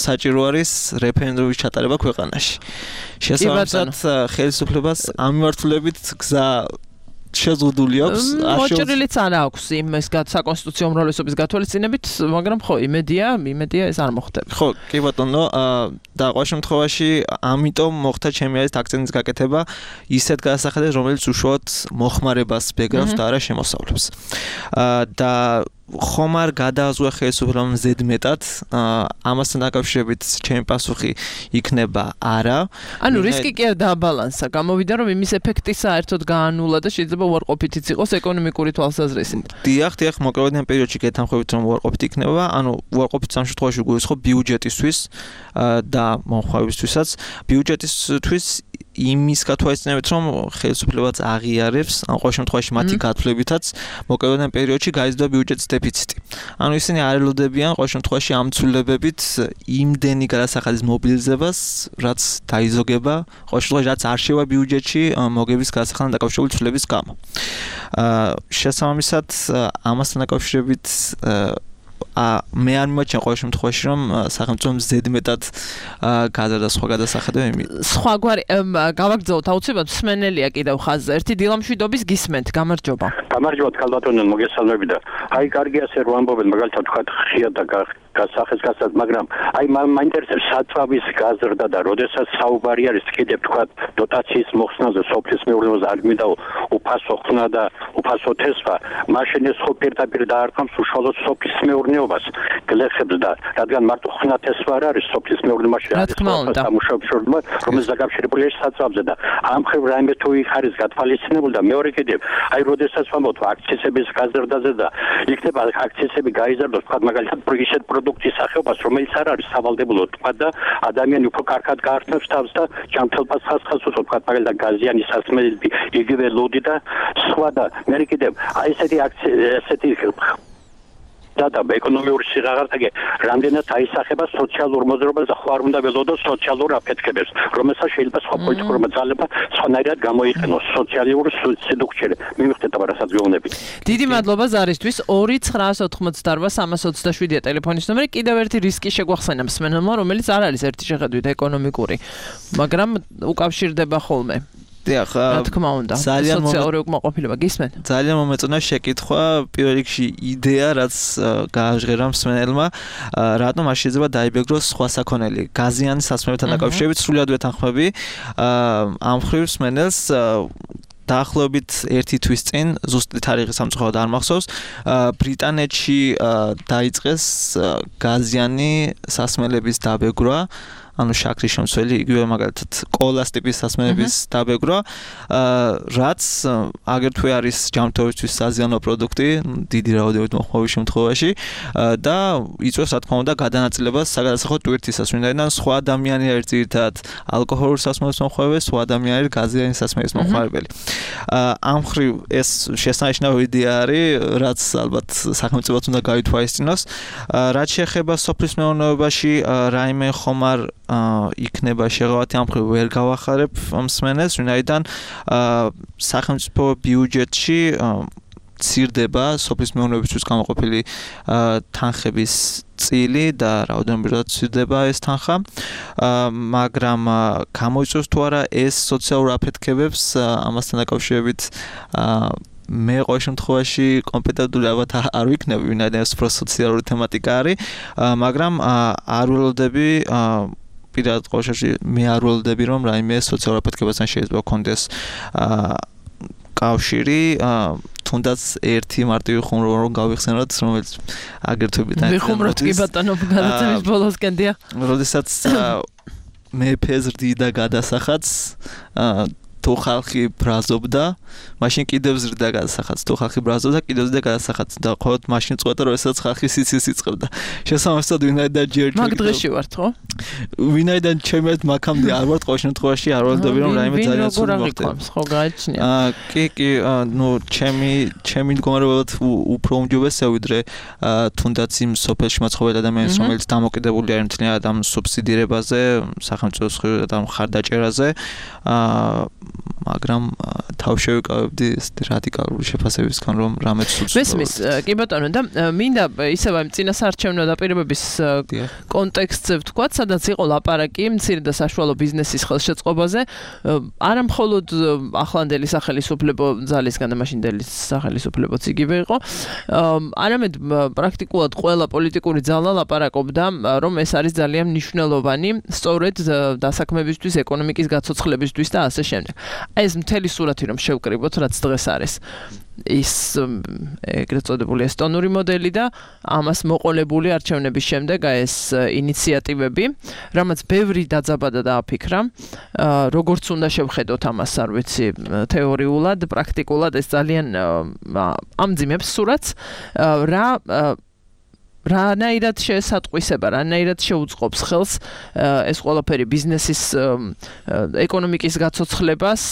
საჭირო არის რეფერენდუმის ჩატარება ქვეყანაში. შესაბამისად ხელისუფლებას ამ მიმართულებით გზა შეზღუდული აქვს. მოჭრილიც არ აქვს იმის საკონსტიტუციო უმრავლესობის გათვალისწინებით, მაგრამ ხო, იმედია, იმედია ეს არ მოხდება. ხო, კი ბატონო, და ყოველ შემთხვევაში, ამიტომ მოხდა ჩემი აზრით აქცენტის გაკეთება ისეთ გადასახადებს, რომელიც უშუალოდ მოხმარებას ბეგრავს და არა შემოსავლებს. და ხომ არ გადააზღვა ხელისუფლებამ ზედმეტად, ამასთან დაკავშირებით ჩემი პასუხი იქნება არა. ანუ რისკი კი არ დააბალანსა, გამოვიდა რომ იმის ეფექტი საერთოდ გაანულა და შეიძლება უარყოფითიც იყოს ეკონომიკური თვალსაზრისით. დიახ, დიახ, მოკლედიან პერიოდში გეთანხმებით რომ უარყოფითი იქნება, ანუ უარყოფითი ამ შემთხვევაში გულისხმობ ბიუჯეტისთვის და მომხმარებისთვისაც, ბიუჯეტისთვის იმის გათვალისწინებით, რომ ხელისუფლებაც აღიარებს, ან ყოველ შემთხვევაში მათი გათვლებითაც მოკლედიან პერიოდში გაიზრდა ბიუჯეტის დეფიციტი. ანუ ისინი არ ელოდებიან ყოველ შემთხვევაში ამ ცვლილებებით იმდენი გადასახადის მობილიზებას, რაც დაიზოგება, ყოველ შემთხვევაში რაც არ შევა ბიუჯეტში მოგების გადასახადთან დაკავშირებული ცვლილების გამო. აა შესაბამისად, ამასთან დაკავშირებით მე არ მიმაჩნია ყოველ შემთხვევაში რომ სახელმწიფომ ზედმეტად გაზარდა სხვა გადასახადები. სხვაგვარი გავაგრძელოთ აუცილებლად მსმენელია კიდევ ხაზზე. ერთი დილამშვიდობის გისმენთ, გამარჯობა. გამარჯობა ქალბატონო, მოგესალმები და აი კარგი ასე რომ ამბობენ, მაგალითად თქვა ხია და გასახეს გასად, მაგრამ აი მაინტერესებს საწვავის გაზრდა და როდესაც საუბარი არის კიდევ თქვა დოტაციის მოხსნაზე, სოფლის მეურნეობაზე არ მინდა უფასო ხსნა და უფასო თესვა, მაშინ ეს ხო პირდაპირ დაარტყამს უშუალოდ სოფლის მეურნეობას გლეხებს და რადგან მარტო ხსნა თესვა არ არის სოფლის მეურნეობაში არის სამუშაოების შორდმა, რომელიც დაკავშირებულია საწვავზე და ამ ხრივ რაიმე თუ იხარის გათვალისწინებული და მეორე კიდევ აი როდესაც ვამბობთ აქციზების გაზრდაზე და იქნება აქციზები გაიზარდოს, თქვა მაგალითად ისეთ პროდუქტის სახეობას, რომელიც არ არის სავალდებულო, თქვა და ადამიანი უფრო კარგად გაართმევს თავს და ჯანმრთელობას ხასხას უწევს, თქვა მაგალითად გაზიანი სასმელები, იგივე ლოდი და სხვა და მე კიდევ აი ესეთი ესეთი და ეკონომიური სიღარაღე რამდენად აისახება სოციალურ მოძრაობას და ხო არ უნდა ველოდოს სოციალურ აფეთქებებს, რომელსაც შეიძლება სხვა პოლიტიკურმა ძალებმა სხვანაირად გამოიყენოს სოციალური სიდუქჩերը. მივხვდეთ რასაც გეუბნებით. დიდი მადლობა ზარისთვის. ორი ცხრაას ოთხმოცდაარბა სამას ოცდაშვიდია ტელეფონის ნომერი. კიდევ ერთი რისკი შეგვახსენა მსმენელმა, რომელიც არ არის ერთი შეხედვით ეკონომიკური, მაგრამ უკავშირდება ხოლმე. დიახ, რა თქმა უნდა, სოციალური უკმაყოფილება გისმენთ. ძალიან მომეწონა შეკითხვა, პირველ რიგში იდეა, რაც გააჟღერა მსმენელმა, რატომ არ შეიძლება დაიბეგროს სხვა საქონელი. გაზიანი სასმელებთან დაკავშირებით სრულად ვეთანხმები. ამ ხრივ მსმენელს დაახლოებით ერთი თვის წინ, ზუსტი თარიღი სამწუხაროდ არ მახსოვს, ბრიტანეთში დაიწყეს გაზიანი სასმელების დაბეგრვა. ანუ შაქრის შემცველი, იგივე მაგალითად კოლას ტიპის სასმელების დაბეგრვა, რაც აგრეთვე არის ჯანმრთელობისთვის საზიანო პროდუქტი, დიდი რაოდენობით მოხმარების შემთხვევაში და იწვევს რა თქმა უნდა გადანაწილებას საგადასახადო ტვირთისას, ვინაიდან სხვა ადამიანი არის ძირითადად ალკოჰოლური სასმელის მომხმარებელი, სხვა ადამიანი არის გაზიანი სასმელის მომხმარებელი. ამ ხრივ ეს შესანიშნავი იდეა არის, რაც ალბათ სახელმწიფოც უნდა გაითვალისწინოს. რაც შეეხება სოფლის მეურნეობაში, რაიმე ხომ არ იქნება შეღავათი ამ ხრივ ვერ გავახარებ მსმენელს, ვინაიდან სახელმწიფო ბიუჯეტში ცირდება სოფლის მეურნეობისთვის გამოყოფილი თანხების წილი და რაოდენობრივად ცირდება ეს თანხა, მაგრამ გამოიწვევს თუ არა ეს სოციალურ აფეთქებებს ამასთან დაკავშირებით მე ყოველ შემთხვევაში კომპეტენტური ალბათ არ ვიქნები, ვინაიდან ეს უფრო სოციალური თემატიკა არის, მაგრამ არ ველოდები პირადად ყოველ შემთხვევაში მე არ ველოდები რომ რაიმე სოციალურ აფეთქებასთან შეიძლება გქონდეს კავშირი, თუნდაც ერთი მარტივი ხუმრობა რომ გავიხსენოთ, რომელიც აგერთვებით არის. ვიხუმროთ კი ბატონო, გადაცემის ბოლოსკენ დია. როდესაც მე ფეზრდი და გადასახადს თუ ხალხი ბრაზობდა, მაშინ კიდევ ზრდა გადასახადს, თუ ხალხი ბრაზობდა, კიდევ ზრდა გადასახადს და ხოლმე მაშინ წყვეტა, როდესაც ხალხი სიცილს იწყებდა. შესაბამისად, ვინაიდან ჯერ მაგ დღეში ვართ, ხო? ვინაიდან ჩემი ერთ მაქამდე არ ვარ, ყოველ შემთხვევაში არ ველოდები რომ რაიმე ძალიან ცუდი მოხდეს. ხო, გააჩნია. აა, კი, კი, ნუ ჩემი ჩემი მდგომარეობად უფრო უმჯობესია ვიდრე თუნდაც იმ სოფელში მაცხოვრებელ ადამიანს, რომელიც დამოკიდებული არის მთლიანად ამ სუბსიდირებაზე, სახელმწიფოს და მხარდაჭერაზე. აა მაგრამ თავშევიკავებდი რადიკალური შეფასებისგან რომ რამეც სულს მესმის კი ბატონო და მინდა ისევ ამ წინასაარჩევნო დაპირებების კონტექსტზე ვთქვათ, სადაც იყო ლაპარაკი მცირე და საშუალო ბიზნესის ხელშეწყობაზე, არა მხოლოდ ახლანდელი სახელმწიფო ძალისგან და მაშინდელი სახელმწიფოც იგივე იყო, არამედ პრაქტიკულად ყველა პოლიტიკური ძალა ლაპარაკობდა, რომ ეს არის ძალიან მნიშვნელოვანი სწორედ დასაქმებისთვის, ეკონომიკის გაცოცხლებისთვის და ასე შემდეგ. ეს მთელი სურათი რომ შევკრიბოთ, რაც დღეს არის. ის ეგრეთ წოდებული ესტონური მოდელი და ამას მოყოლებული არჩევნების შემდეგ ეს ინიციატივები, რამაც ბევრი დაძაბადა და აფიქრა, როგორც უნდა შევხედოთ ამას, არ ვიცი, თეორიულად, პრაქტიკულად ეს ძალიან ამძიმებს სურათს, რა რანაირად შეესატყვისება, რანაირად შეუწყობს ხელს ეს ყველაფერი ბიზნესის ეკონომიკის გაცოცხლებას,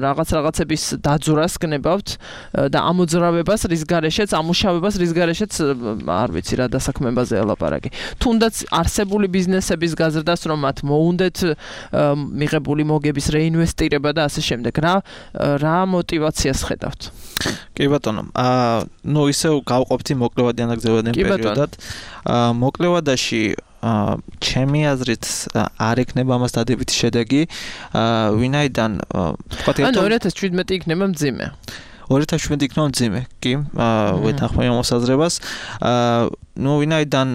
რაღაც რაღაცების დაძვრას გნებავთ და ამოძრავებას, რის გარეშეც, ამუშავებას, რის გარეშეც არ ვიცი რა დასაქმებაზე ელაპარაკი. თუნდაც არსებული ბიზნესების გაზრდას, რომ მათ მოუნდეთ მიღებული მოგების რეინვესტირება და ასე შემდეგ. რა რა мотиваციას ხედავთ? კი ბატონო, აა ნუ ისევ გავყოფთ მოკლევადი ანაგზებადიან პერიოდად. აა მოკლევადაში აა ჩემი აზრით არ ექნება ამას დადებითი შედეგი, აა ვინაიდან ვთქვათ ანუ ორი ათას შვიდმეტი იქნება მძიმე. ორი ათას შვიდმეტი იქნება მძიმე, კი, აა ვეთანხმები ამ მოსაზრებას. აა ნუ ვინაიდან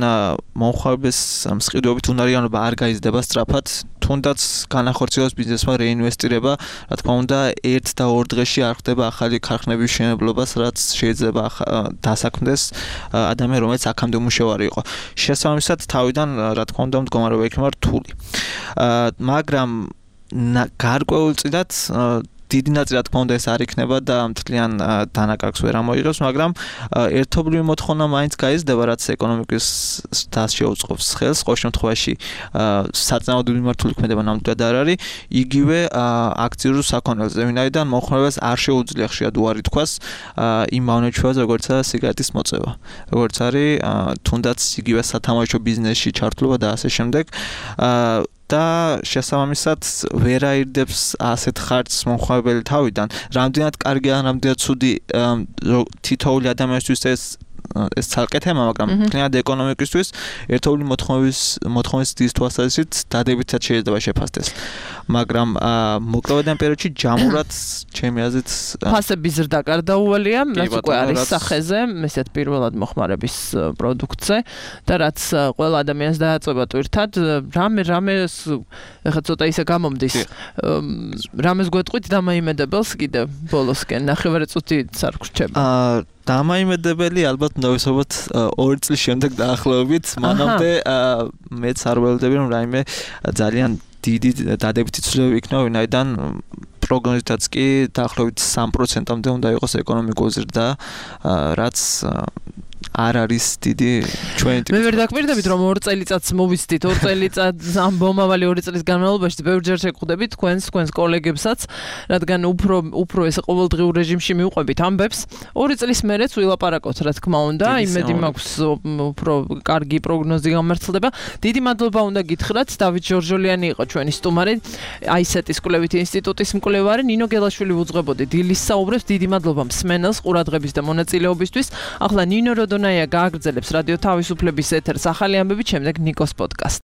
მომხმარებლის მსყიდვებით უნარიანობა არ გაიზრდება სწრაფად, თუნდაც განახორციელოს ბიზნესმა რეინვესტირება, რა თქმა უნდა, ერთ და ორ დღეში არ ხდება ახალი ქარხნების მშენებლობას, რაც შეიძლება დასაქმდეს ადამიანი, რომელიც აქამდე მუშავარი იყო. შესაბამისად, თავიდან, რა თქმა უნდა, მდგომარეობა იქნება რთული. მაგრამ გარკვეულწილად დიდი ნაწილი რა თქმა უნდა ეს არ იქნება და მთლიან დანაკარგს ვერ ამოიღებს, მაგრამ ერთობლივი მოთხოვნა მაინც გაიზრდება, რაც ეკონომიკის დას შეუწყობს ხელს, ყოველ შემთხვევაში საწინააღმდეგო მიმართული ქმედება ნამდვილად არ არის, იგივე აქციურ საქონელზე, ვინაიდან მომხმარებელს არ შეუძლია ხშირად უარი თქვას იმ მავნეჩვევაზე, როგორიცაა სიგარეტის მოწევა, როგორც არის თუნდაც იგივე სათამაშო ბიზნესში ჩართულობა და ასე შემდეგ. და შესაბამისად ვერ აირდებს ასეთ ხარჯს მომხმარებელი თავიდან. რამდენად კარგია, რამდენად ცუდი თითოეული ადამიანისთვის ეს ეს ცალკე თემა, მაგრამ მთლიანად ეკონომიკისთვის ერთობლივი მოთხოვნის მოთხოვნის დის თვალსაზრისით დადებითად შეიძლება შეფასდეს. მაგრამ მოკლევადიან პერიოდში ჯამურად ჩემი აზრით ფასების ზრდა გარდაუვალია, რაც უკვე არის სახეზე, ესეთ პირველად მოხმარების პროდუქტზე და რაც ყველა ადამიანს დააწება ტვირთად, რამე რამე ეხლა ცოტა ისე გამომდის. რამეს გვეტყვით დამაიმედებელს კიდე ბოლოსკენ, ნახევარი წუთით არ გრჩება. აა დამაიმედებელი ალბათ უნდა ვისაუბროთ ორი წლის შემდეგ დაახლოებით, მანამდე მეც არ ველოდები რომ რაიმე ძალიან დიდი დადებითი ცვლილებები იქნება, ვინაიდან პროგნოზითაც კი დაახლოებით სამ პროცენტამდე უნდა იყოს ეკონომიკური ზრდა, რაც არ არის დიდი ჩვენი მე ვერ დაკვირდებით რომ ორ წელიწადს მოვიცდით, ორ წელიწადს ამ მომავალი ორი წლის განმავლობაში ბევრჯერ შეგხვდებით თქვენს თქვენს კოლეგებსაც, რადგან უფრო უფრო ეს ყოველდღიურ რეჟიმში მივყვებით ამბებს. ორი წლის მერეც ვილაპარაკოთ, რა თქმა უნდა, იმედი მაქვს უფრო კარგი პროგნოზი გამართლდება. დიდი მადლობა უნდა გითხრათ, დავით ჯორჯოლიანი იყო ჩვენი სტუმარი, აისეტის კვლევითი ინსტიტუტის მკვლევარი, ნინო გელაშვილი უძღვებოდი დილის საუბრებს. დიდი მადლობა მსმენელს ყურადღების და მონაწილეობისთვის. ახლა ნინო როდონაია გააგრძელებს რადიო თავისუფლების ეთერს ახალი ამბებით, შემდეგ ნიკოს პოდკასტი.